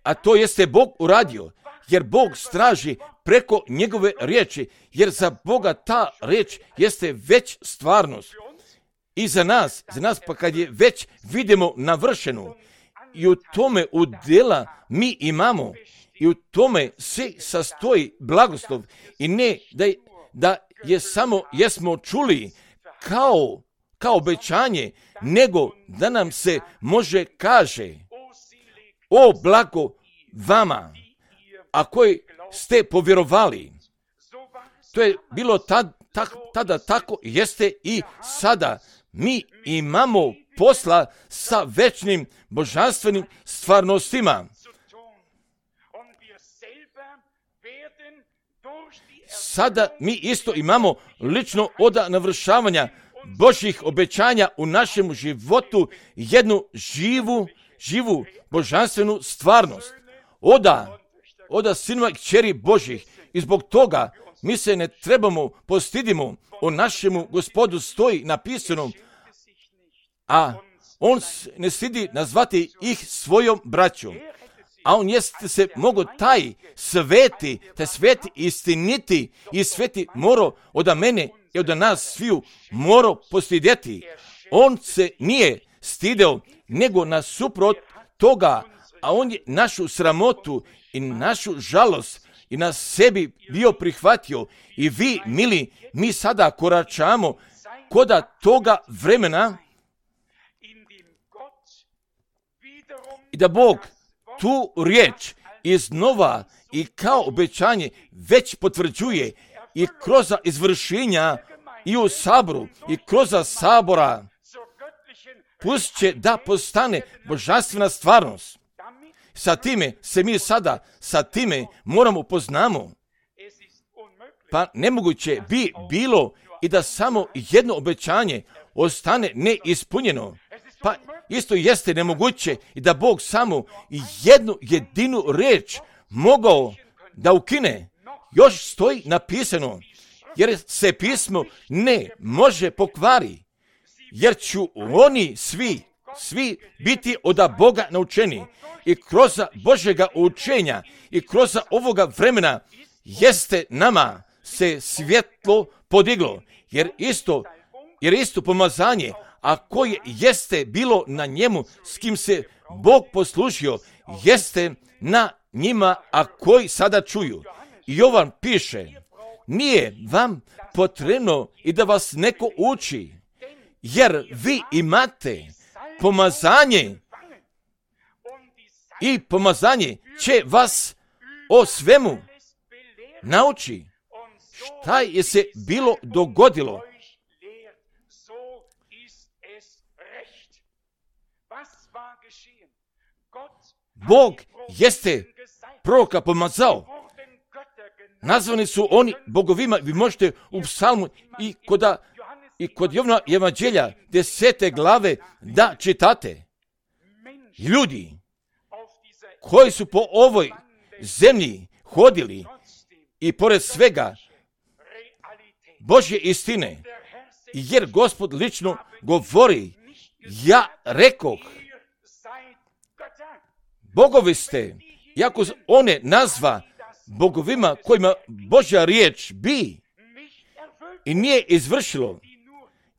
A to jeste Bog uradio, jer Bog straži preko njegove riječi, jer za Boga ta riječ jeste već stvarnost. I za nas pa kad je već vidimo navršenu, i u tome udjela mi imamo, i u tome se sastoji blagoslov, i ne da je samo jesmo čuli kao obećanje, nego da nam se može kaže, o blago vama, a koji ste povjerovali. To je bilo tada tako, jeste i sada. Mi imamo posla sa večnim božanstvenim stvarnostima. Sada mi isto imamo lično od navršavanja Božjih obećanja u našem životu jednu živu božanstvenu stvarnost. Oda sinova i kćeri Božjih. I zbog toga mi se ne trebamo postidimo. O našemu Gospodu stoji napisano, a on ne stidi nazvati ih svojom braćom. A on jeste se mogo taj sveti istiniti i sveti moro od mene i od nas sviju moro postidjeti. On se nije stideo, nego nasuprot toga, a on je našu sramotu i našu žalost i na sebi bio prihvatio. I vi, mili, mi sada koračamo koda toga vremena i da Bog tu riječ iznova i kao obećanje već potvrđuje i kroz izvršenja i u saboru i kroz sabora pust će da postane božanstvena stvarnost. Sa time se mi sada, moramo poznamo. Pa nemoguće bi bilo i da samo jedno obećanje ostane neispunjeno. Pa isto jeste nemoguće i da Bog samo jednu jedinu riječ mogao da ukine. Još stoji napisano, jer se pismo ne može pokvari, jer ću oni svi biti od Boga naučeni. I kroz Božjega učenja i kroz ovoga vremena jeste nama se svjetlo podiglo, jer isto pomazanje, a koje jeste bilo na njemu s kim se Bog poslužio, jeste na njima, a koji sada čuju. I Jovan piše, nije vam potrebno i da vas neko uči, jer vi imate pomazanje i pomazanje će vas o svemu nauči. Šta je se bilo dogodilo? Bog jeste proroka pomazao. Nazvani su oni bogovima. Vi možete u psalmu i kod Jovana evanđelja 10. glave da čitate. Ljudi koji su po ovoj zemlji hodili i pored svega Božje istine, jer Gospod lično govori, ja rekoh, bogovi ste, iako one nazva bogovima kojima Božja riječ bi i nije izvršilo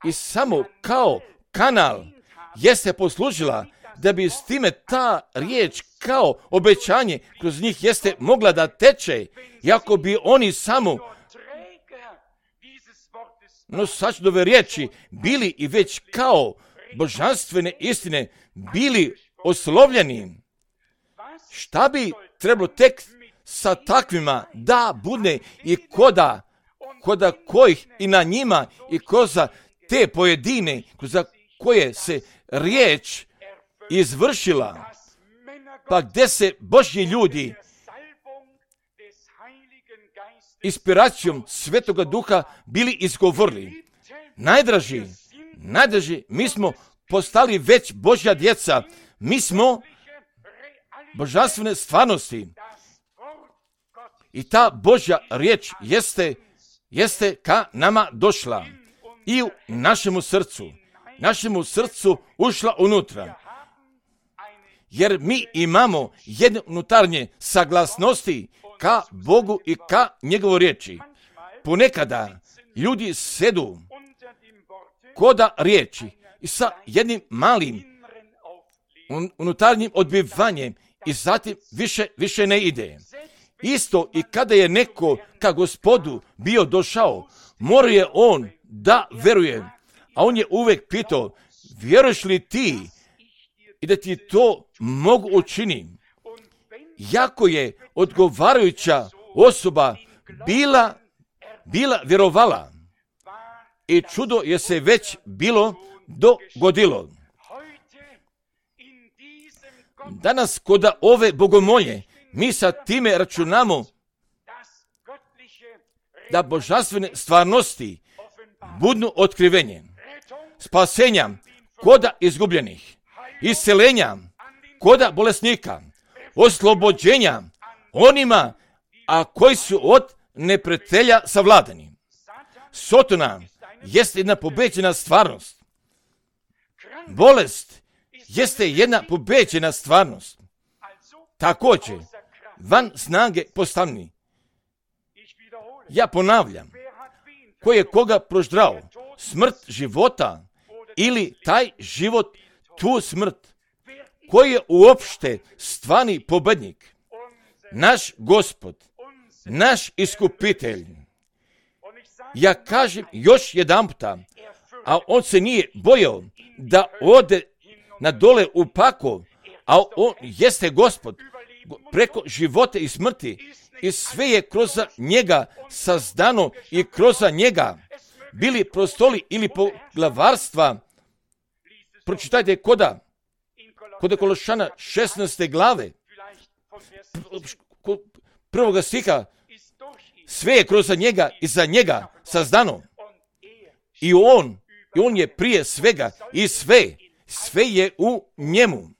i samo kao kanal jeste poslužila da bi s time ta riječ kao obećanje kroz njih jeste mogla da teče, iako bi oni samo nosačdove riječi bili i već kao božanstvene istine bili oslovljeni. Šta bi trebalo tek sa takvima da bude i koda kojih i na njima i koza te pojedine za koje se riječ izvršila, pa gdje se Božji ljudi inspiracijom Svetoga Duha bili izgovorili. Najdraži, mi smo postali već Božja djeca, mi smo božanstvene stvarnosti i ta Božja riječ jeste ka nama došla i u našemu srcu ušla unutra. Jer mi imamo jedne unutarnje saglasnosti ka Bogu i ka njegovoj riječi. Ponekada ljudi sedu koda riječi i sa jednim malim unutarnjim odbivanjem i zatim više ne ide. Isto i kada je neko ka Gospodu bio došao, morao je on da veruje, a on je uvek pitao, vjeruješ li ti i da ti to mogu učiniti? Jako je odgovarajuća osoba bila vjerovala i čudo je se već bilo dogodilo. Danas kod ove bogomolje mi sa time računamo da božanstvene stvarnosti budu otkrivenje, spasenja koda izgubljenih, iscelenja koda bolesnika, oslobođenja onima a koji su od neprijatelja savladani. Sotona jeste jedna pobeđena stvarnost. Bolest jeste jedna pobeđena stvarnost. Također, van snage postavni. Ja ponavljam, ko je koga proždrao, smrt života ili taj život tu smrt, koji je uopšte stvarni pobednik, naš Gospod, naš iskupitelj. Ja kažem još jedan puta, a on se nije bojao da ode na dole u pakao, a on jeste Gospod preko života i smrti i sve je kroz njega sazdano i kroz njega bili prostoli ili poglavarstva. Pročitajte koda Kološana 16. glave prvoga stiha, sve je kroz njega i za njega sazdano. I on je prije svega i sve je u njemu.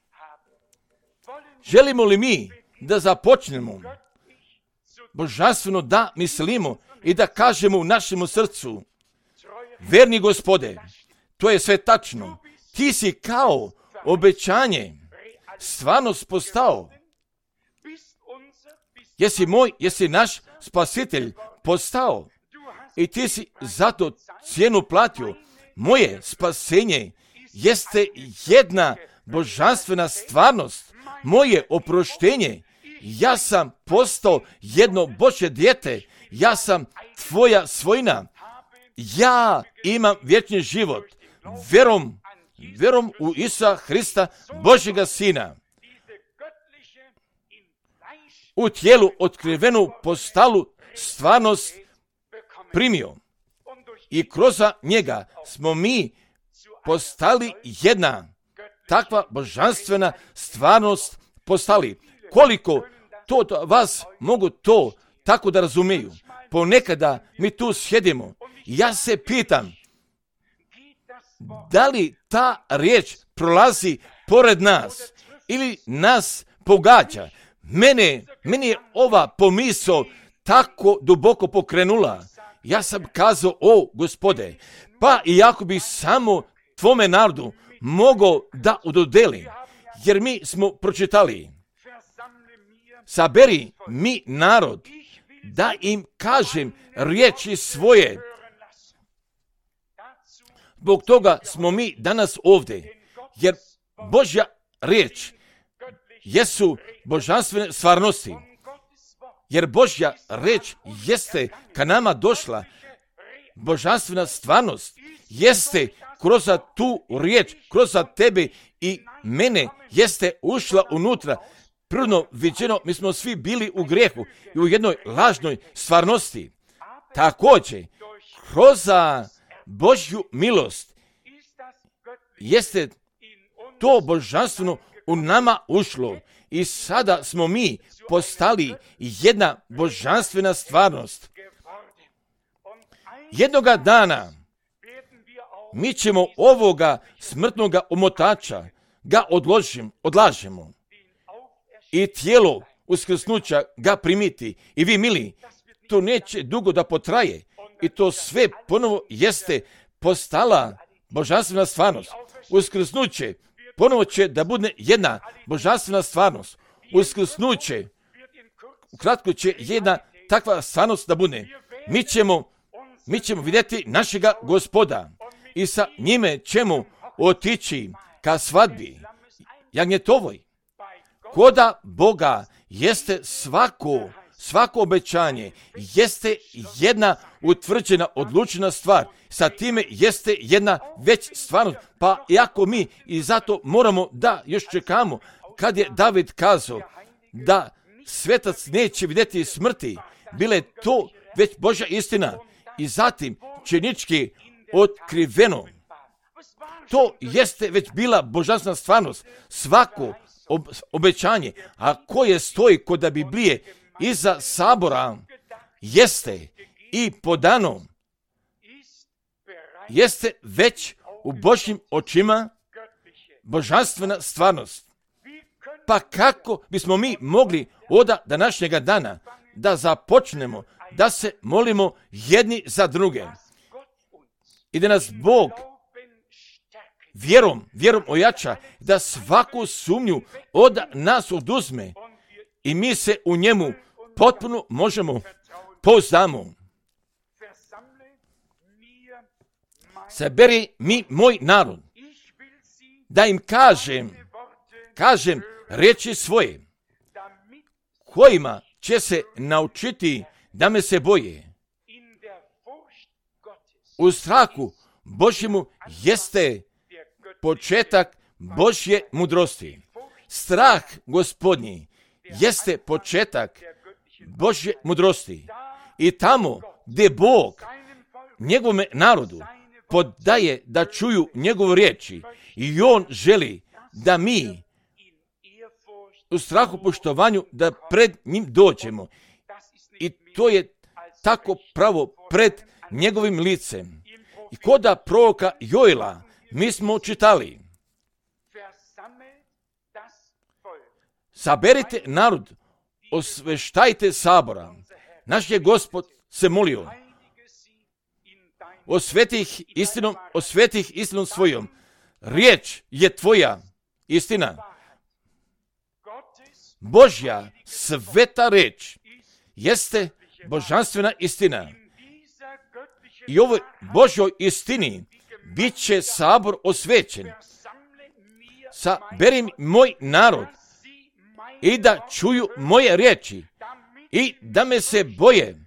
Želimo li mi da započnemo božanstveno da mislimo i da kažemo u našemu srcu, verni Gospode, to je sve tačno, ti si kao obećanje stvarnost postao. Jesi moj, jesi naš spasitelj postao i ti si zato cijenu platio. Moje spasenje jeste jedna božanstvena stvarnost, moje oproštenje. Ja sam postao jedno Božje dijete, ja sam tvoja svojina. Ja imam vječni život, vjerom u Isusa Hrista, Božjega Sina. U tijelu otkrivenu postalu stvarnost primio. I kroz njega smo mi postali jedna takva božanstvena stvarnost postali. Koliko to vas mogu to tako da razumiju. Ponekada mi tu sjedimo. Ja se pitam, da li ta riječ prolazi pored nas ili nas pogađa? Mene je ova pomisao tako duboko pokrenula. Ja sam kazao, o Gospode, pa i ako bi samo tvome narodu mogao da udodelim, jer mi smo pročitali, saberi mi narod, da im kažem riječi svoje. Zbog toga smo mi danas ovdje, jer Božja riječ jesu božanstvene stvarnosti. Jer Božja riječ jeste ka nama došla. Božanstvena stvarnost jeste kroz tu riječ, kroz tebe i mene jeste ušla unutra. Prirodno viđeno, mi smo svi bili u grijehu i u jednoj lažnoj stvarnosti. Također, kroz Božju milost jeste to božanstveno u nama ušlo i sada smo mi postali jedna božanstvena stvarnost. Jednoga dana mi ćemo ovoga smrtnoga omotača ga odlažemo i tijelo uskrsnuća ga primiti. I vi, mili, to neće dugo da potraje i to sve ponovo jeste postala božanstvena stvarnost. Uskrsnuće ponovo će da bude jedna božanstvena stvarnost. Uskrsnuće ukratko će jedna takva stvarnost da bude. Mi ćemo vidjeti našega Gospoda i sa njime ćemo otići ka svadbi jagnjetovoj. Koda Boga jeste svako obećanje, jeste jedna utvrđena, odlučena stvar. Sa time jeste jedna već stvarnost. Pa iako mi i zato moramo da još čekamo, kad je David kazao da svetac neće vidjeti smrti, bile to već Božja istina i zatim činički otkriveno. To jeste već bila božanstvena stvarnost, svako obećanje, a koje stoji kod Biblije iza sabora jeste i podano, jeste već u Božjim očima božanstvena stvarnost. Pa kako bismo mi mogli od današnjega dana da započnemo da se molimo jedni za druge i da nas Bog vjerom ojača, da svaku sumnju od nas oduzme i mi se u njemu potpuno možemo pouzdamo. Saberi mi moj narod, da im kažem riječi svoje, kojima će se naučiti da me se boje. U strahu Božjemu jeste početak Božje mudrosti. Strah Gospodnji jeste početak Božje mudrosti. I tamo gdje Bog njegovome narodu podaje da čuju njegovu riječi i on želi da mi u strahu poštovanju da pred njim dođemo. I to je tako pravo pred njegovim licem. I koda proroka Joela mi smo čitali: saberite narod, osveštajte sabora. Naš je Gospod se molio: osvetih istinom svojom. Riječ je tvoja istina. Božja sveta riječ jeste božanstvena istina. I ovoj Božjoj istini bit će sabor osvećen. Saberi moj narod i da čuju moje riječi i da me se boje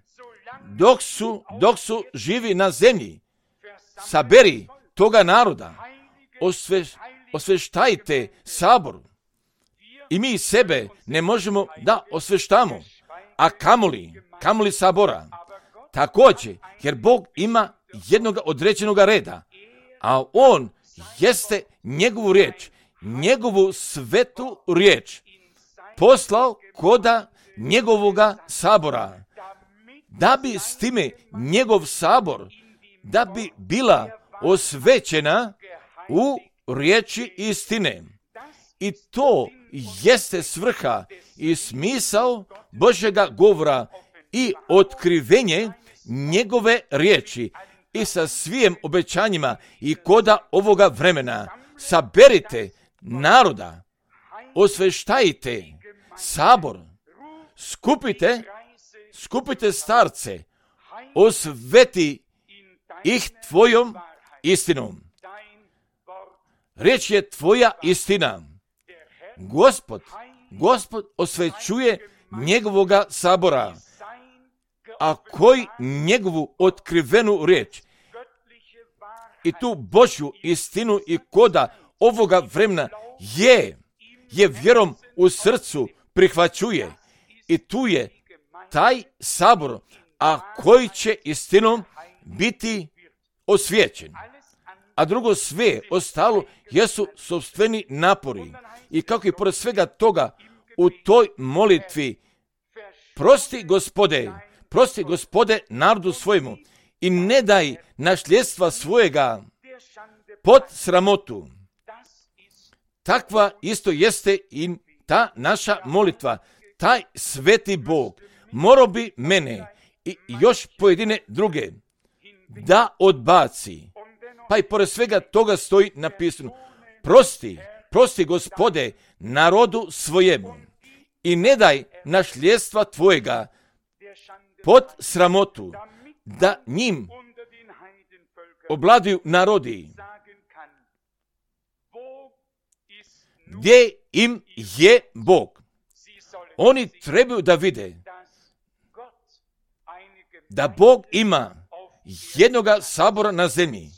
dok su živi na zemlji. Saberi toga naroda, osveštajte sabor. I mi sebe ne možemo da osveštamo, a kamoli sabora. Također, jer Bog ima jednog određenog reda, a on jeste njegovu riječ, njegovu svetu riječ poslao koda njegovoga sabora, da bi s time njegov sabor, da bi bila osvećena u riječi istine. I to jeste svrha i smisao Božjega govora i otkrivenje njegove riječi i sa svim obećanjima i koda ovoga vremena. Saberite naroda, osveštajte sabor, skupite starce, osveti ih tvojom istinom. Riječ je tvoja istina. Gospod osvećuje njegovoga sabora, a koji njegovu otkrivenu riječ i tu Božju istinu i koda ovoga vremena je vjerom u srcu prihvaćuje. I tu je taj sabor, a koji će istinom biti osvijećen. A drugo, sve ostalo jesu sopstveni napori. I kako i pored svega toga u toj molitvi prosti Gospode narodu svojemu i ne daj nasljedstva svojega pod sramotu. Takva isto jeste i ta naša molitva. Taj sveti Bog morao bi mene i još pojedine druge da odbaci. Pa i pored svega toga stoji napisano: prosti Gospode narodu svojemu i ne daj nasljedstva tvojega pod sramotu, da njim obladuju narodi. Gdje im je Bog? Oni trebaju da vide da Bog ima jednoga sabora na zemlji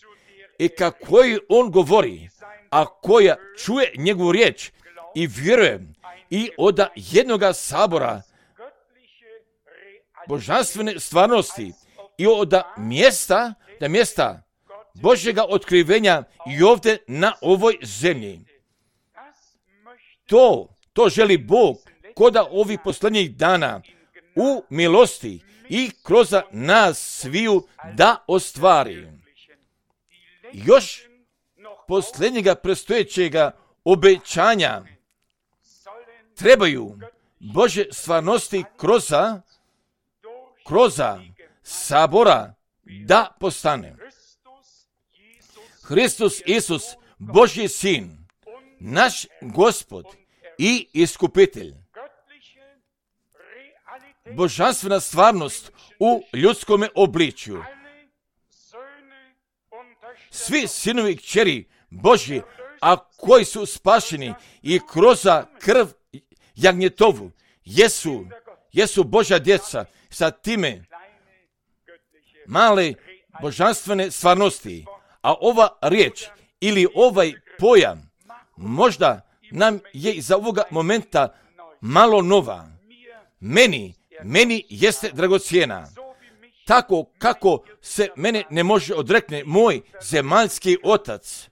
i kako on govori, a koja čuje njegovu riječ i vjeruje i od jednoga sabora božanstvene stvarnosti i od mjesta Božjega otkrivenja i ovdje na ovoj zemlji. To želi Bog koda ovih posljednjih dana u milosti i kroz nas sviju da ostvari. Još posljednjega predstojećega obećanja trebaju Božje stvarnosti kroz sabora da postane. Hristos Isus, Božji sin, naš Gospod i Iskupitelj. Božanstvena stvarnost u ljudskome obličju. Svi sinovi i kćeri Božji, a koji su spašeni i kroz krv jagnjetovu, jesu Božja djeca sa time male božanstvene stvarnosti. A ova riječ ili ovaj pojam možda nam je za ovoga momenta malo nova. Meni jeste dragocjena. Tako kako se mene ne može odrekne moj zemaljski otac.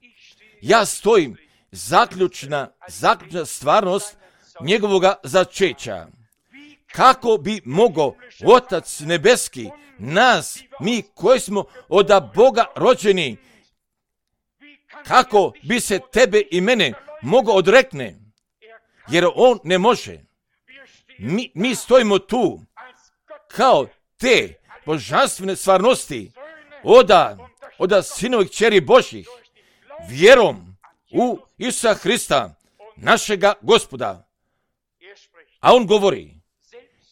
Ja stojim zaključna stvarnost njegovoga začeća. Kako bi mogao Otac nebeski, nas, mi koji smo od Boga rođeni, kako bi se tebe i mene mogao odrekne? Jer on ne može. Mi stojimo tu kao te božanstvene stvarnosti od sinovih kćeri Božjih, vjerom u Isusa Hrista, našega Gospoda. A on govori,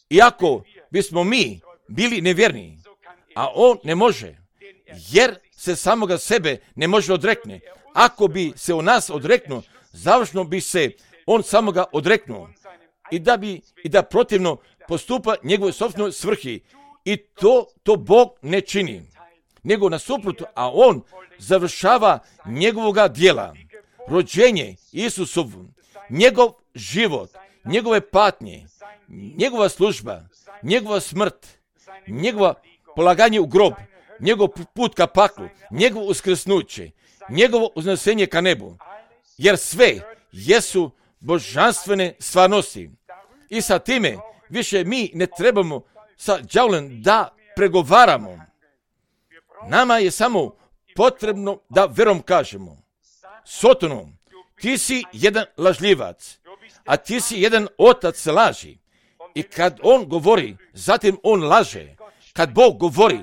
iako bismo mi bili nevjerni, a on ne može, jer se samoga sebe ne može odrekne. Ako bi se o nas odreknuo, završno bi se on samoga odreknuo i da protivno postupa njegove sopstvenoj svrhi. I to Bog ne čini, nego nasuprot, a on završava njegovoga djela, rođenje Isusovu, njegov život, njegove patnje, njegova služba, njegova smrt, njegova polaganje u grob, njegov put ka paklu, njegovo uskrsnuće, njegovo uznesenje ka nebu, jer sve jesu božanstvene stvarnosti. I sa time više mi ne trebamo sa đavolom da pregovaramo. Nama je samo potrebno da verom kažemo: Sotonu, ti si jedan lažljivac, a ti si jedan otac laži. I kad on govori, zatim on laže. Kad Bog govori,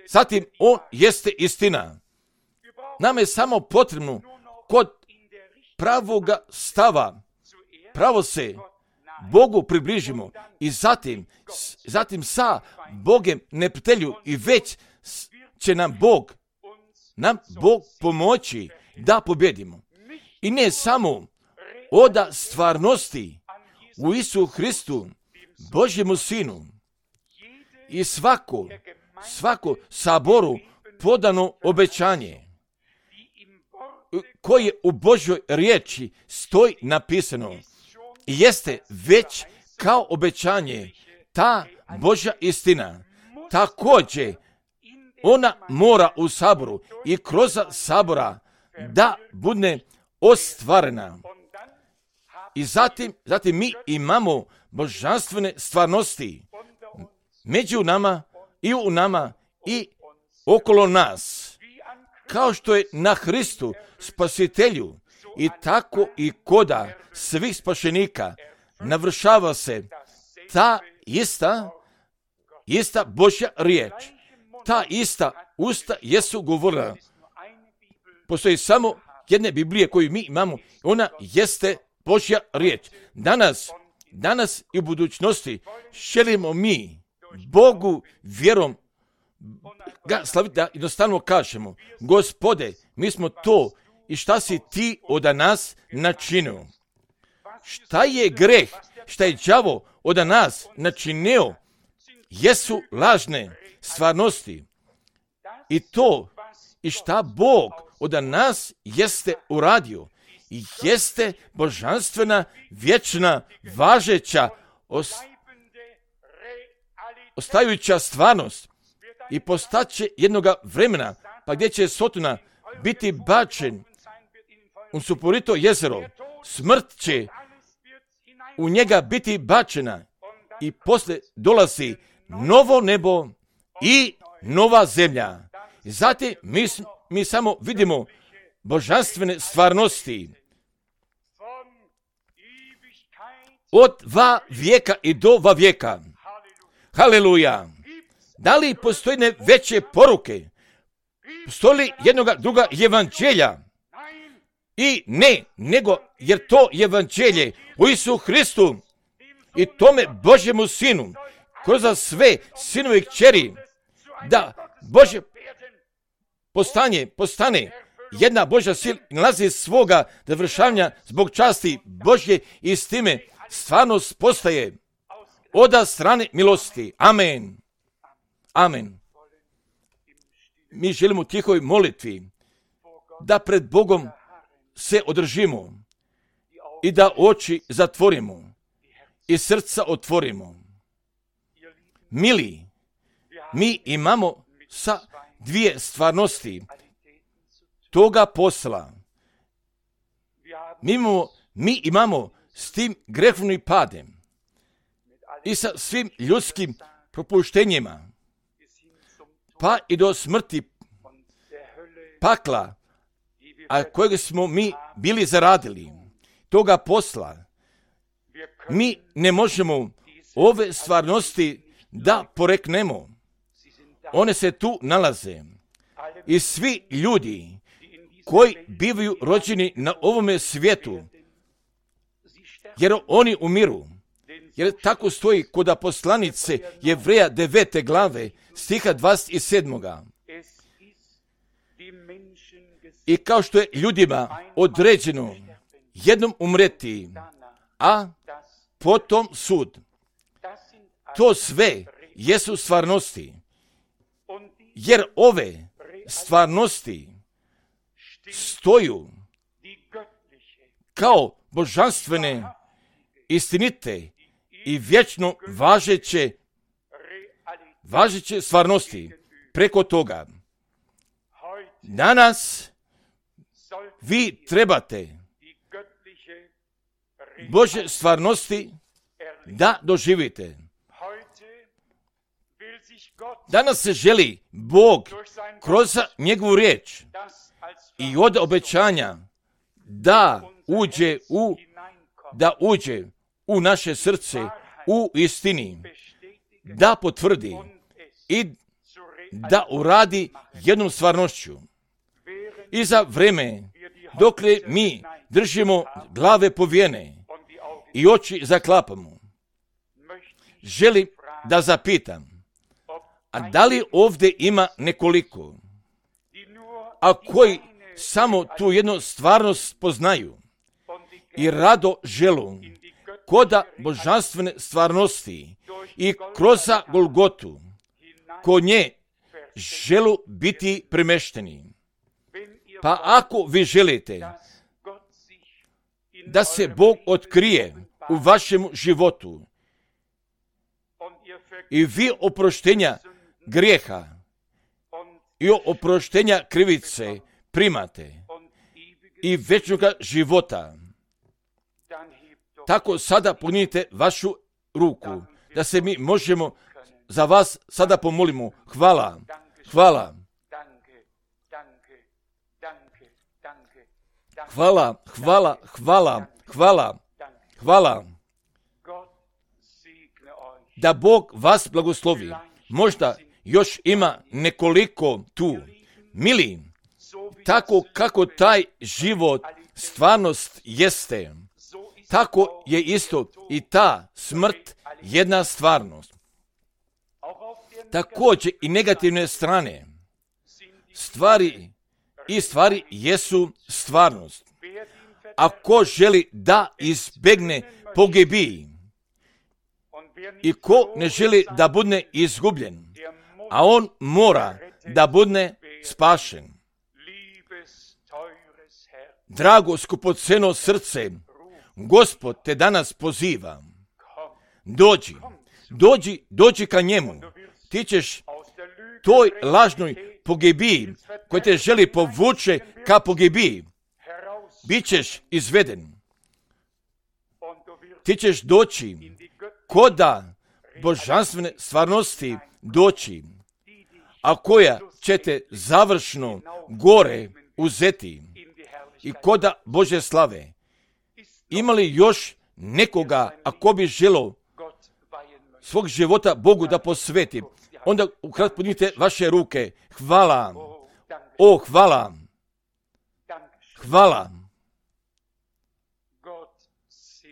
zatim on jeste istina. Nama je samo potrebno kod pravoga stava pravo se Bogu približimo i zatim sa Bogem neprijatelju i već će nam Bog pomoći da pobjedimo. I ne samo oda stvarnosti u Isu Hristu, Božjemu Sinu, i svako saboru podano obećanje koje u Božjoj riječi stoji napisano, jeste već kao obećanje ta Božja istina. Također, ona mora u saboru i kroz sabora da bude ostvarena. I zatim mi imamo božanstvene stvarnosti među nama i u nama i okolo nas. Kao što je na Hristu Spasitelju i tako i koda svih spašenika navršava se ta ista Božja riječ. Ta ista usta jesu govorila. Postoji samo jedne Biblije koju mi imamo. Ona jeste Božja riječ. Danas i u budućnosti želimo mi Bogu vjerom ga slaviti, da jednostavno kažemo: Gospode, mi smo to i šta si ti od nas načinio. Šta je greh, šta je đavo od nas načinio, jesu lažne stvarnosti. I to i šta Bog od nas jeste uradio, jeste božanstvena, vječna, važeća, ostajuća stvarnost i postaće jednoga vremena, pa gdje će Sotona biti bačen u suporito jezero, smrt će u njega biti bačena i posle dolazi novo nebo i nova zemlja. Zatim mi samo vidimo božanstvene stvarnosti od va vijeka i do va vijeka. Haleluja! Da li postoji veće poruke? Postoji li jednoga druga evanđelja? I ne, nego jer to evanđelje u Isu Hristu i tome Božjemu Sinu, kroz sve sinove i kćeri, da Božje postane jedna Božja sila i nalazi svoga završavanja zbog časti Božje i s time stvarnost postaje od strane milosti. Amen. Amen. Mi želimo u tihoj molitvi da pred Bogom se održimo i da oči zatvorimo i srca otvorimo. Mili, mi imamo sa dvije stvarnosti toga posla. Mi imamo s tim grehovnim padem i sa svim ljudskim propuštenjima, pa i do smrti pakla, a kojeg smo mi bili zaradili, toga posla. Mi ne možemo ove stvarnosti da poreknemo. One se tu nalaze. I svi ljudi koji bivaju rođeni na ovome svijetu, jer oni umiru. Jer tako stoji kod poslanice Jevreja 9. glave, stiha 27. I kao što je ljudima određeno jednom umreti, a potom sud. To sve jesu stvarnosti. Jer ove stvarnosti stoju kao božanstvene, istinite i vječno važeće stvarnosti. Preko toga danas vi trebate Božje stvarnosti da doživite. Danas se želi Bog kroz njegovu riječ i od obećanja da uđe u naše srce u istini, da potvrdi i da uradi jednom stvarnošću. I za vreme dokle mi držimo glave povijene i oči zaklapamo, želim da zapitam, a da li ovdje ima nekoliko, a koji samo tu jednu stvarnost poznaju i rado želu koda božanstvene stvarnosti i kroz Golgotu kod nje želu biti premešteni. Pa ako vi želite da se Bog otkrije u vašem životu i vi oproštenja grijeha i oproštenja krivice primate i večnoga života, tako sada podignite vašu ruku, da se mi možemo za vas sada pomolimo. Hvala, hvala. Hvala, hvala, hvala, hvala, hvala. Da Bog vas blagoslovi. Možda još ima nekoliko tu. Mili, tako kako taj život stvarnost jeste, tako je isto i ta smrt jedna stvarnost. Također i negativne strane. Stvari jesu stvarnost. Ako želi da izbjegne pogibiji i ko ne želi da bude izgubljen, a on mora da bude spašen. Drago skupoceno srce, Gospod te danas poziva. Dođi ka njemu. Ti ćeš toj lažnoj pogibiji koja te želi povuče ka pogibiji, bit ćeš izveden. Ti ćeš doći koda božanstvene stvarnosti doći, a koja će te završno gore uzeti i koda Bože slave. Ima li još nekoga ako bi želo svog života Bogu da posveti? Onda ukratko podignite vaše ruke. Hvala. Hvala. Hvala.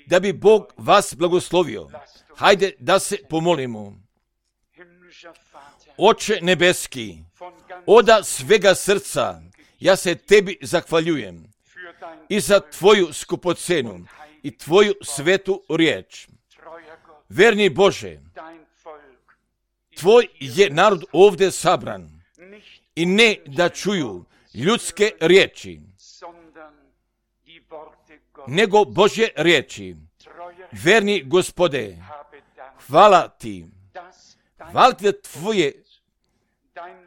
Da bi Bog vas blagoslovio. Hajde da se pomolimo. Oče nebeski, oda svega srca, ja se tebi zahvaljujem i za tvoju skupocenu i tvoju svetu riječ. Verni Bože, tvoj je narod ovdje sabran i ne da čuju ljudske riječi, nego Božje riječi. Verni Gospode, hvala ti. Hvala ti da tvoje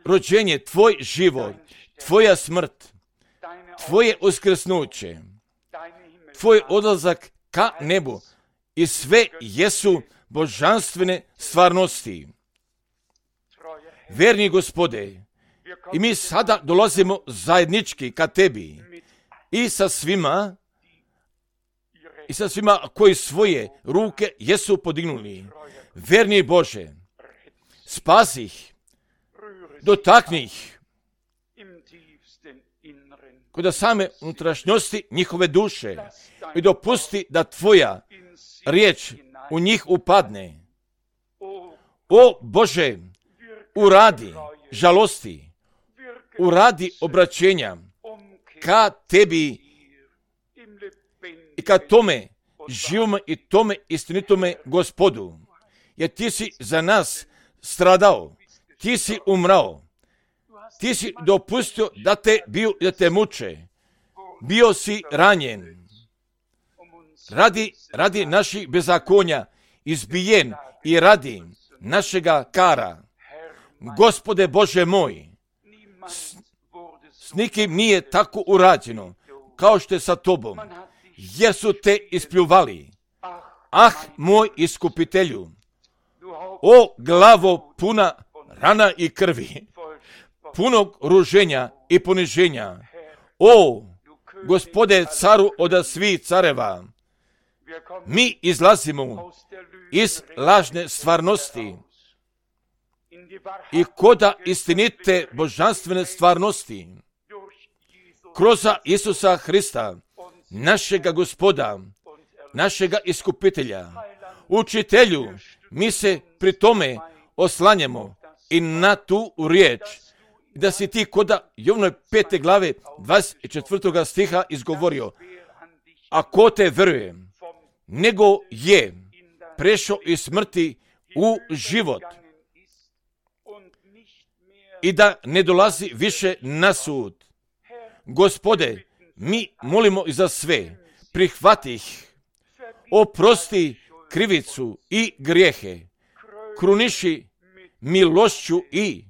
rođenje, tvoj život, tvoja smrt, tvoje uskrsnuće, tvoj odlazak ka nebu i sve jesu božanstvene stvarnosti. Verni Gospode, i mi sada dolazimo zajednički ka tebi i sa svima koji svoje ruke jesu podignuli. Verni Bože, spasi ih, dotakni ih kod same unutrašnjosti njihove duše i dopusti da tvoja riječ u njih upadne. O Bože, uradi žalosti, uradi obraćenja ka tebi i ka tome živome i tome istinitome Gospodu. Jer ti si za nas stradao, ti si umrao, ti si dopustio da te muče, bio si ranjen, radi naših bezakonja, izbijen i radi našega kara. Gospode Bože moj, s nikim nije tako urađeno kao što je sa tobom, jer su te ispljuvali. Ah, moj iskupitelju, o glavo puna rana i krvi, punog ruženja i poniženja, o Gospode caru od svih careva, mi izlazimo iz lažne stvarnosti i koda istinite božanstvene stvarnosti kroz Isusa Hrista, našega Gospoda, našega iskupitelja, učitelju. Mi se pri tome oslanjamo i na tu riječ, da si ti koda Jovnoj 5. glave 24. stiha izgovorio: a ko te veruje, nego je prešao iz smrti u život i da ne dolazi više na sud. Gospode, mi molimo i za sve, prihvati ih, oprosti krivicu i grijehe, kruniši milošću i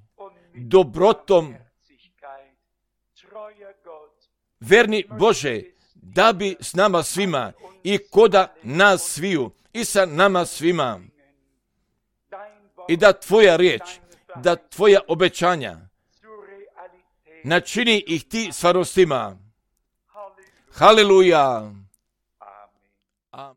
dobrotom. Verni Bože, da bi s nama svima i koda nas sviju i sa nama svima i da tvoja riječ, da tvoja obećanja načini ih ti stvarnostima. Haleluja!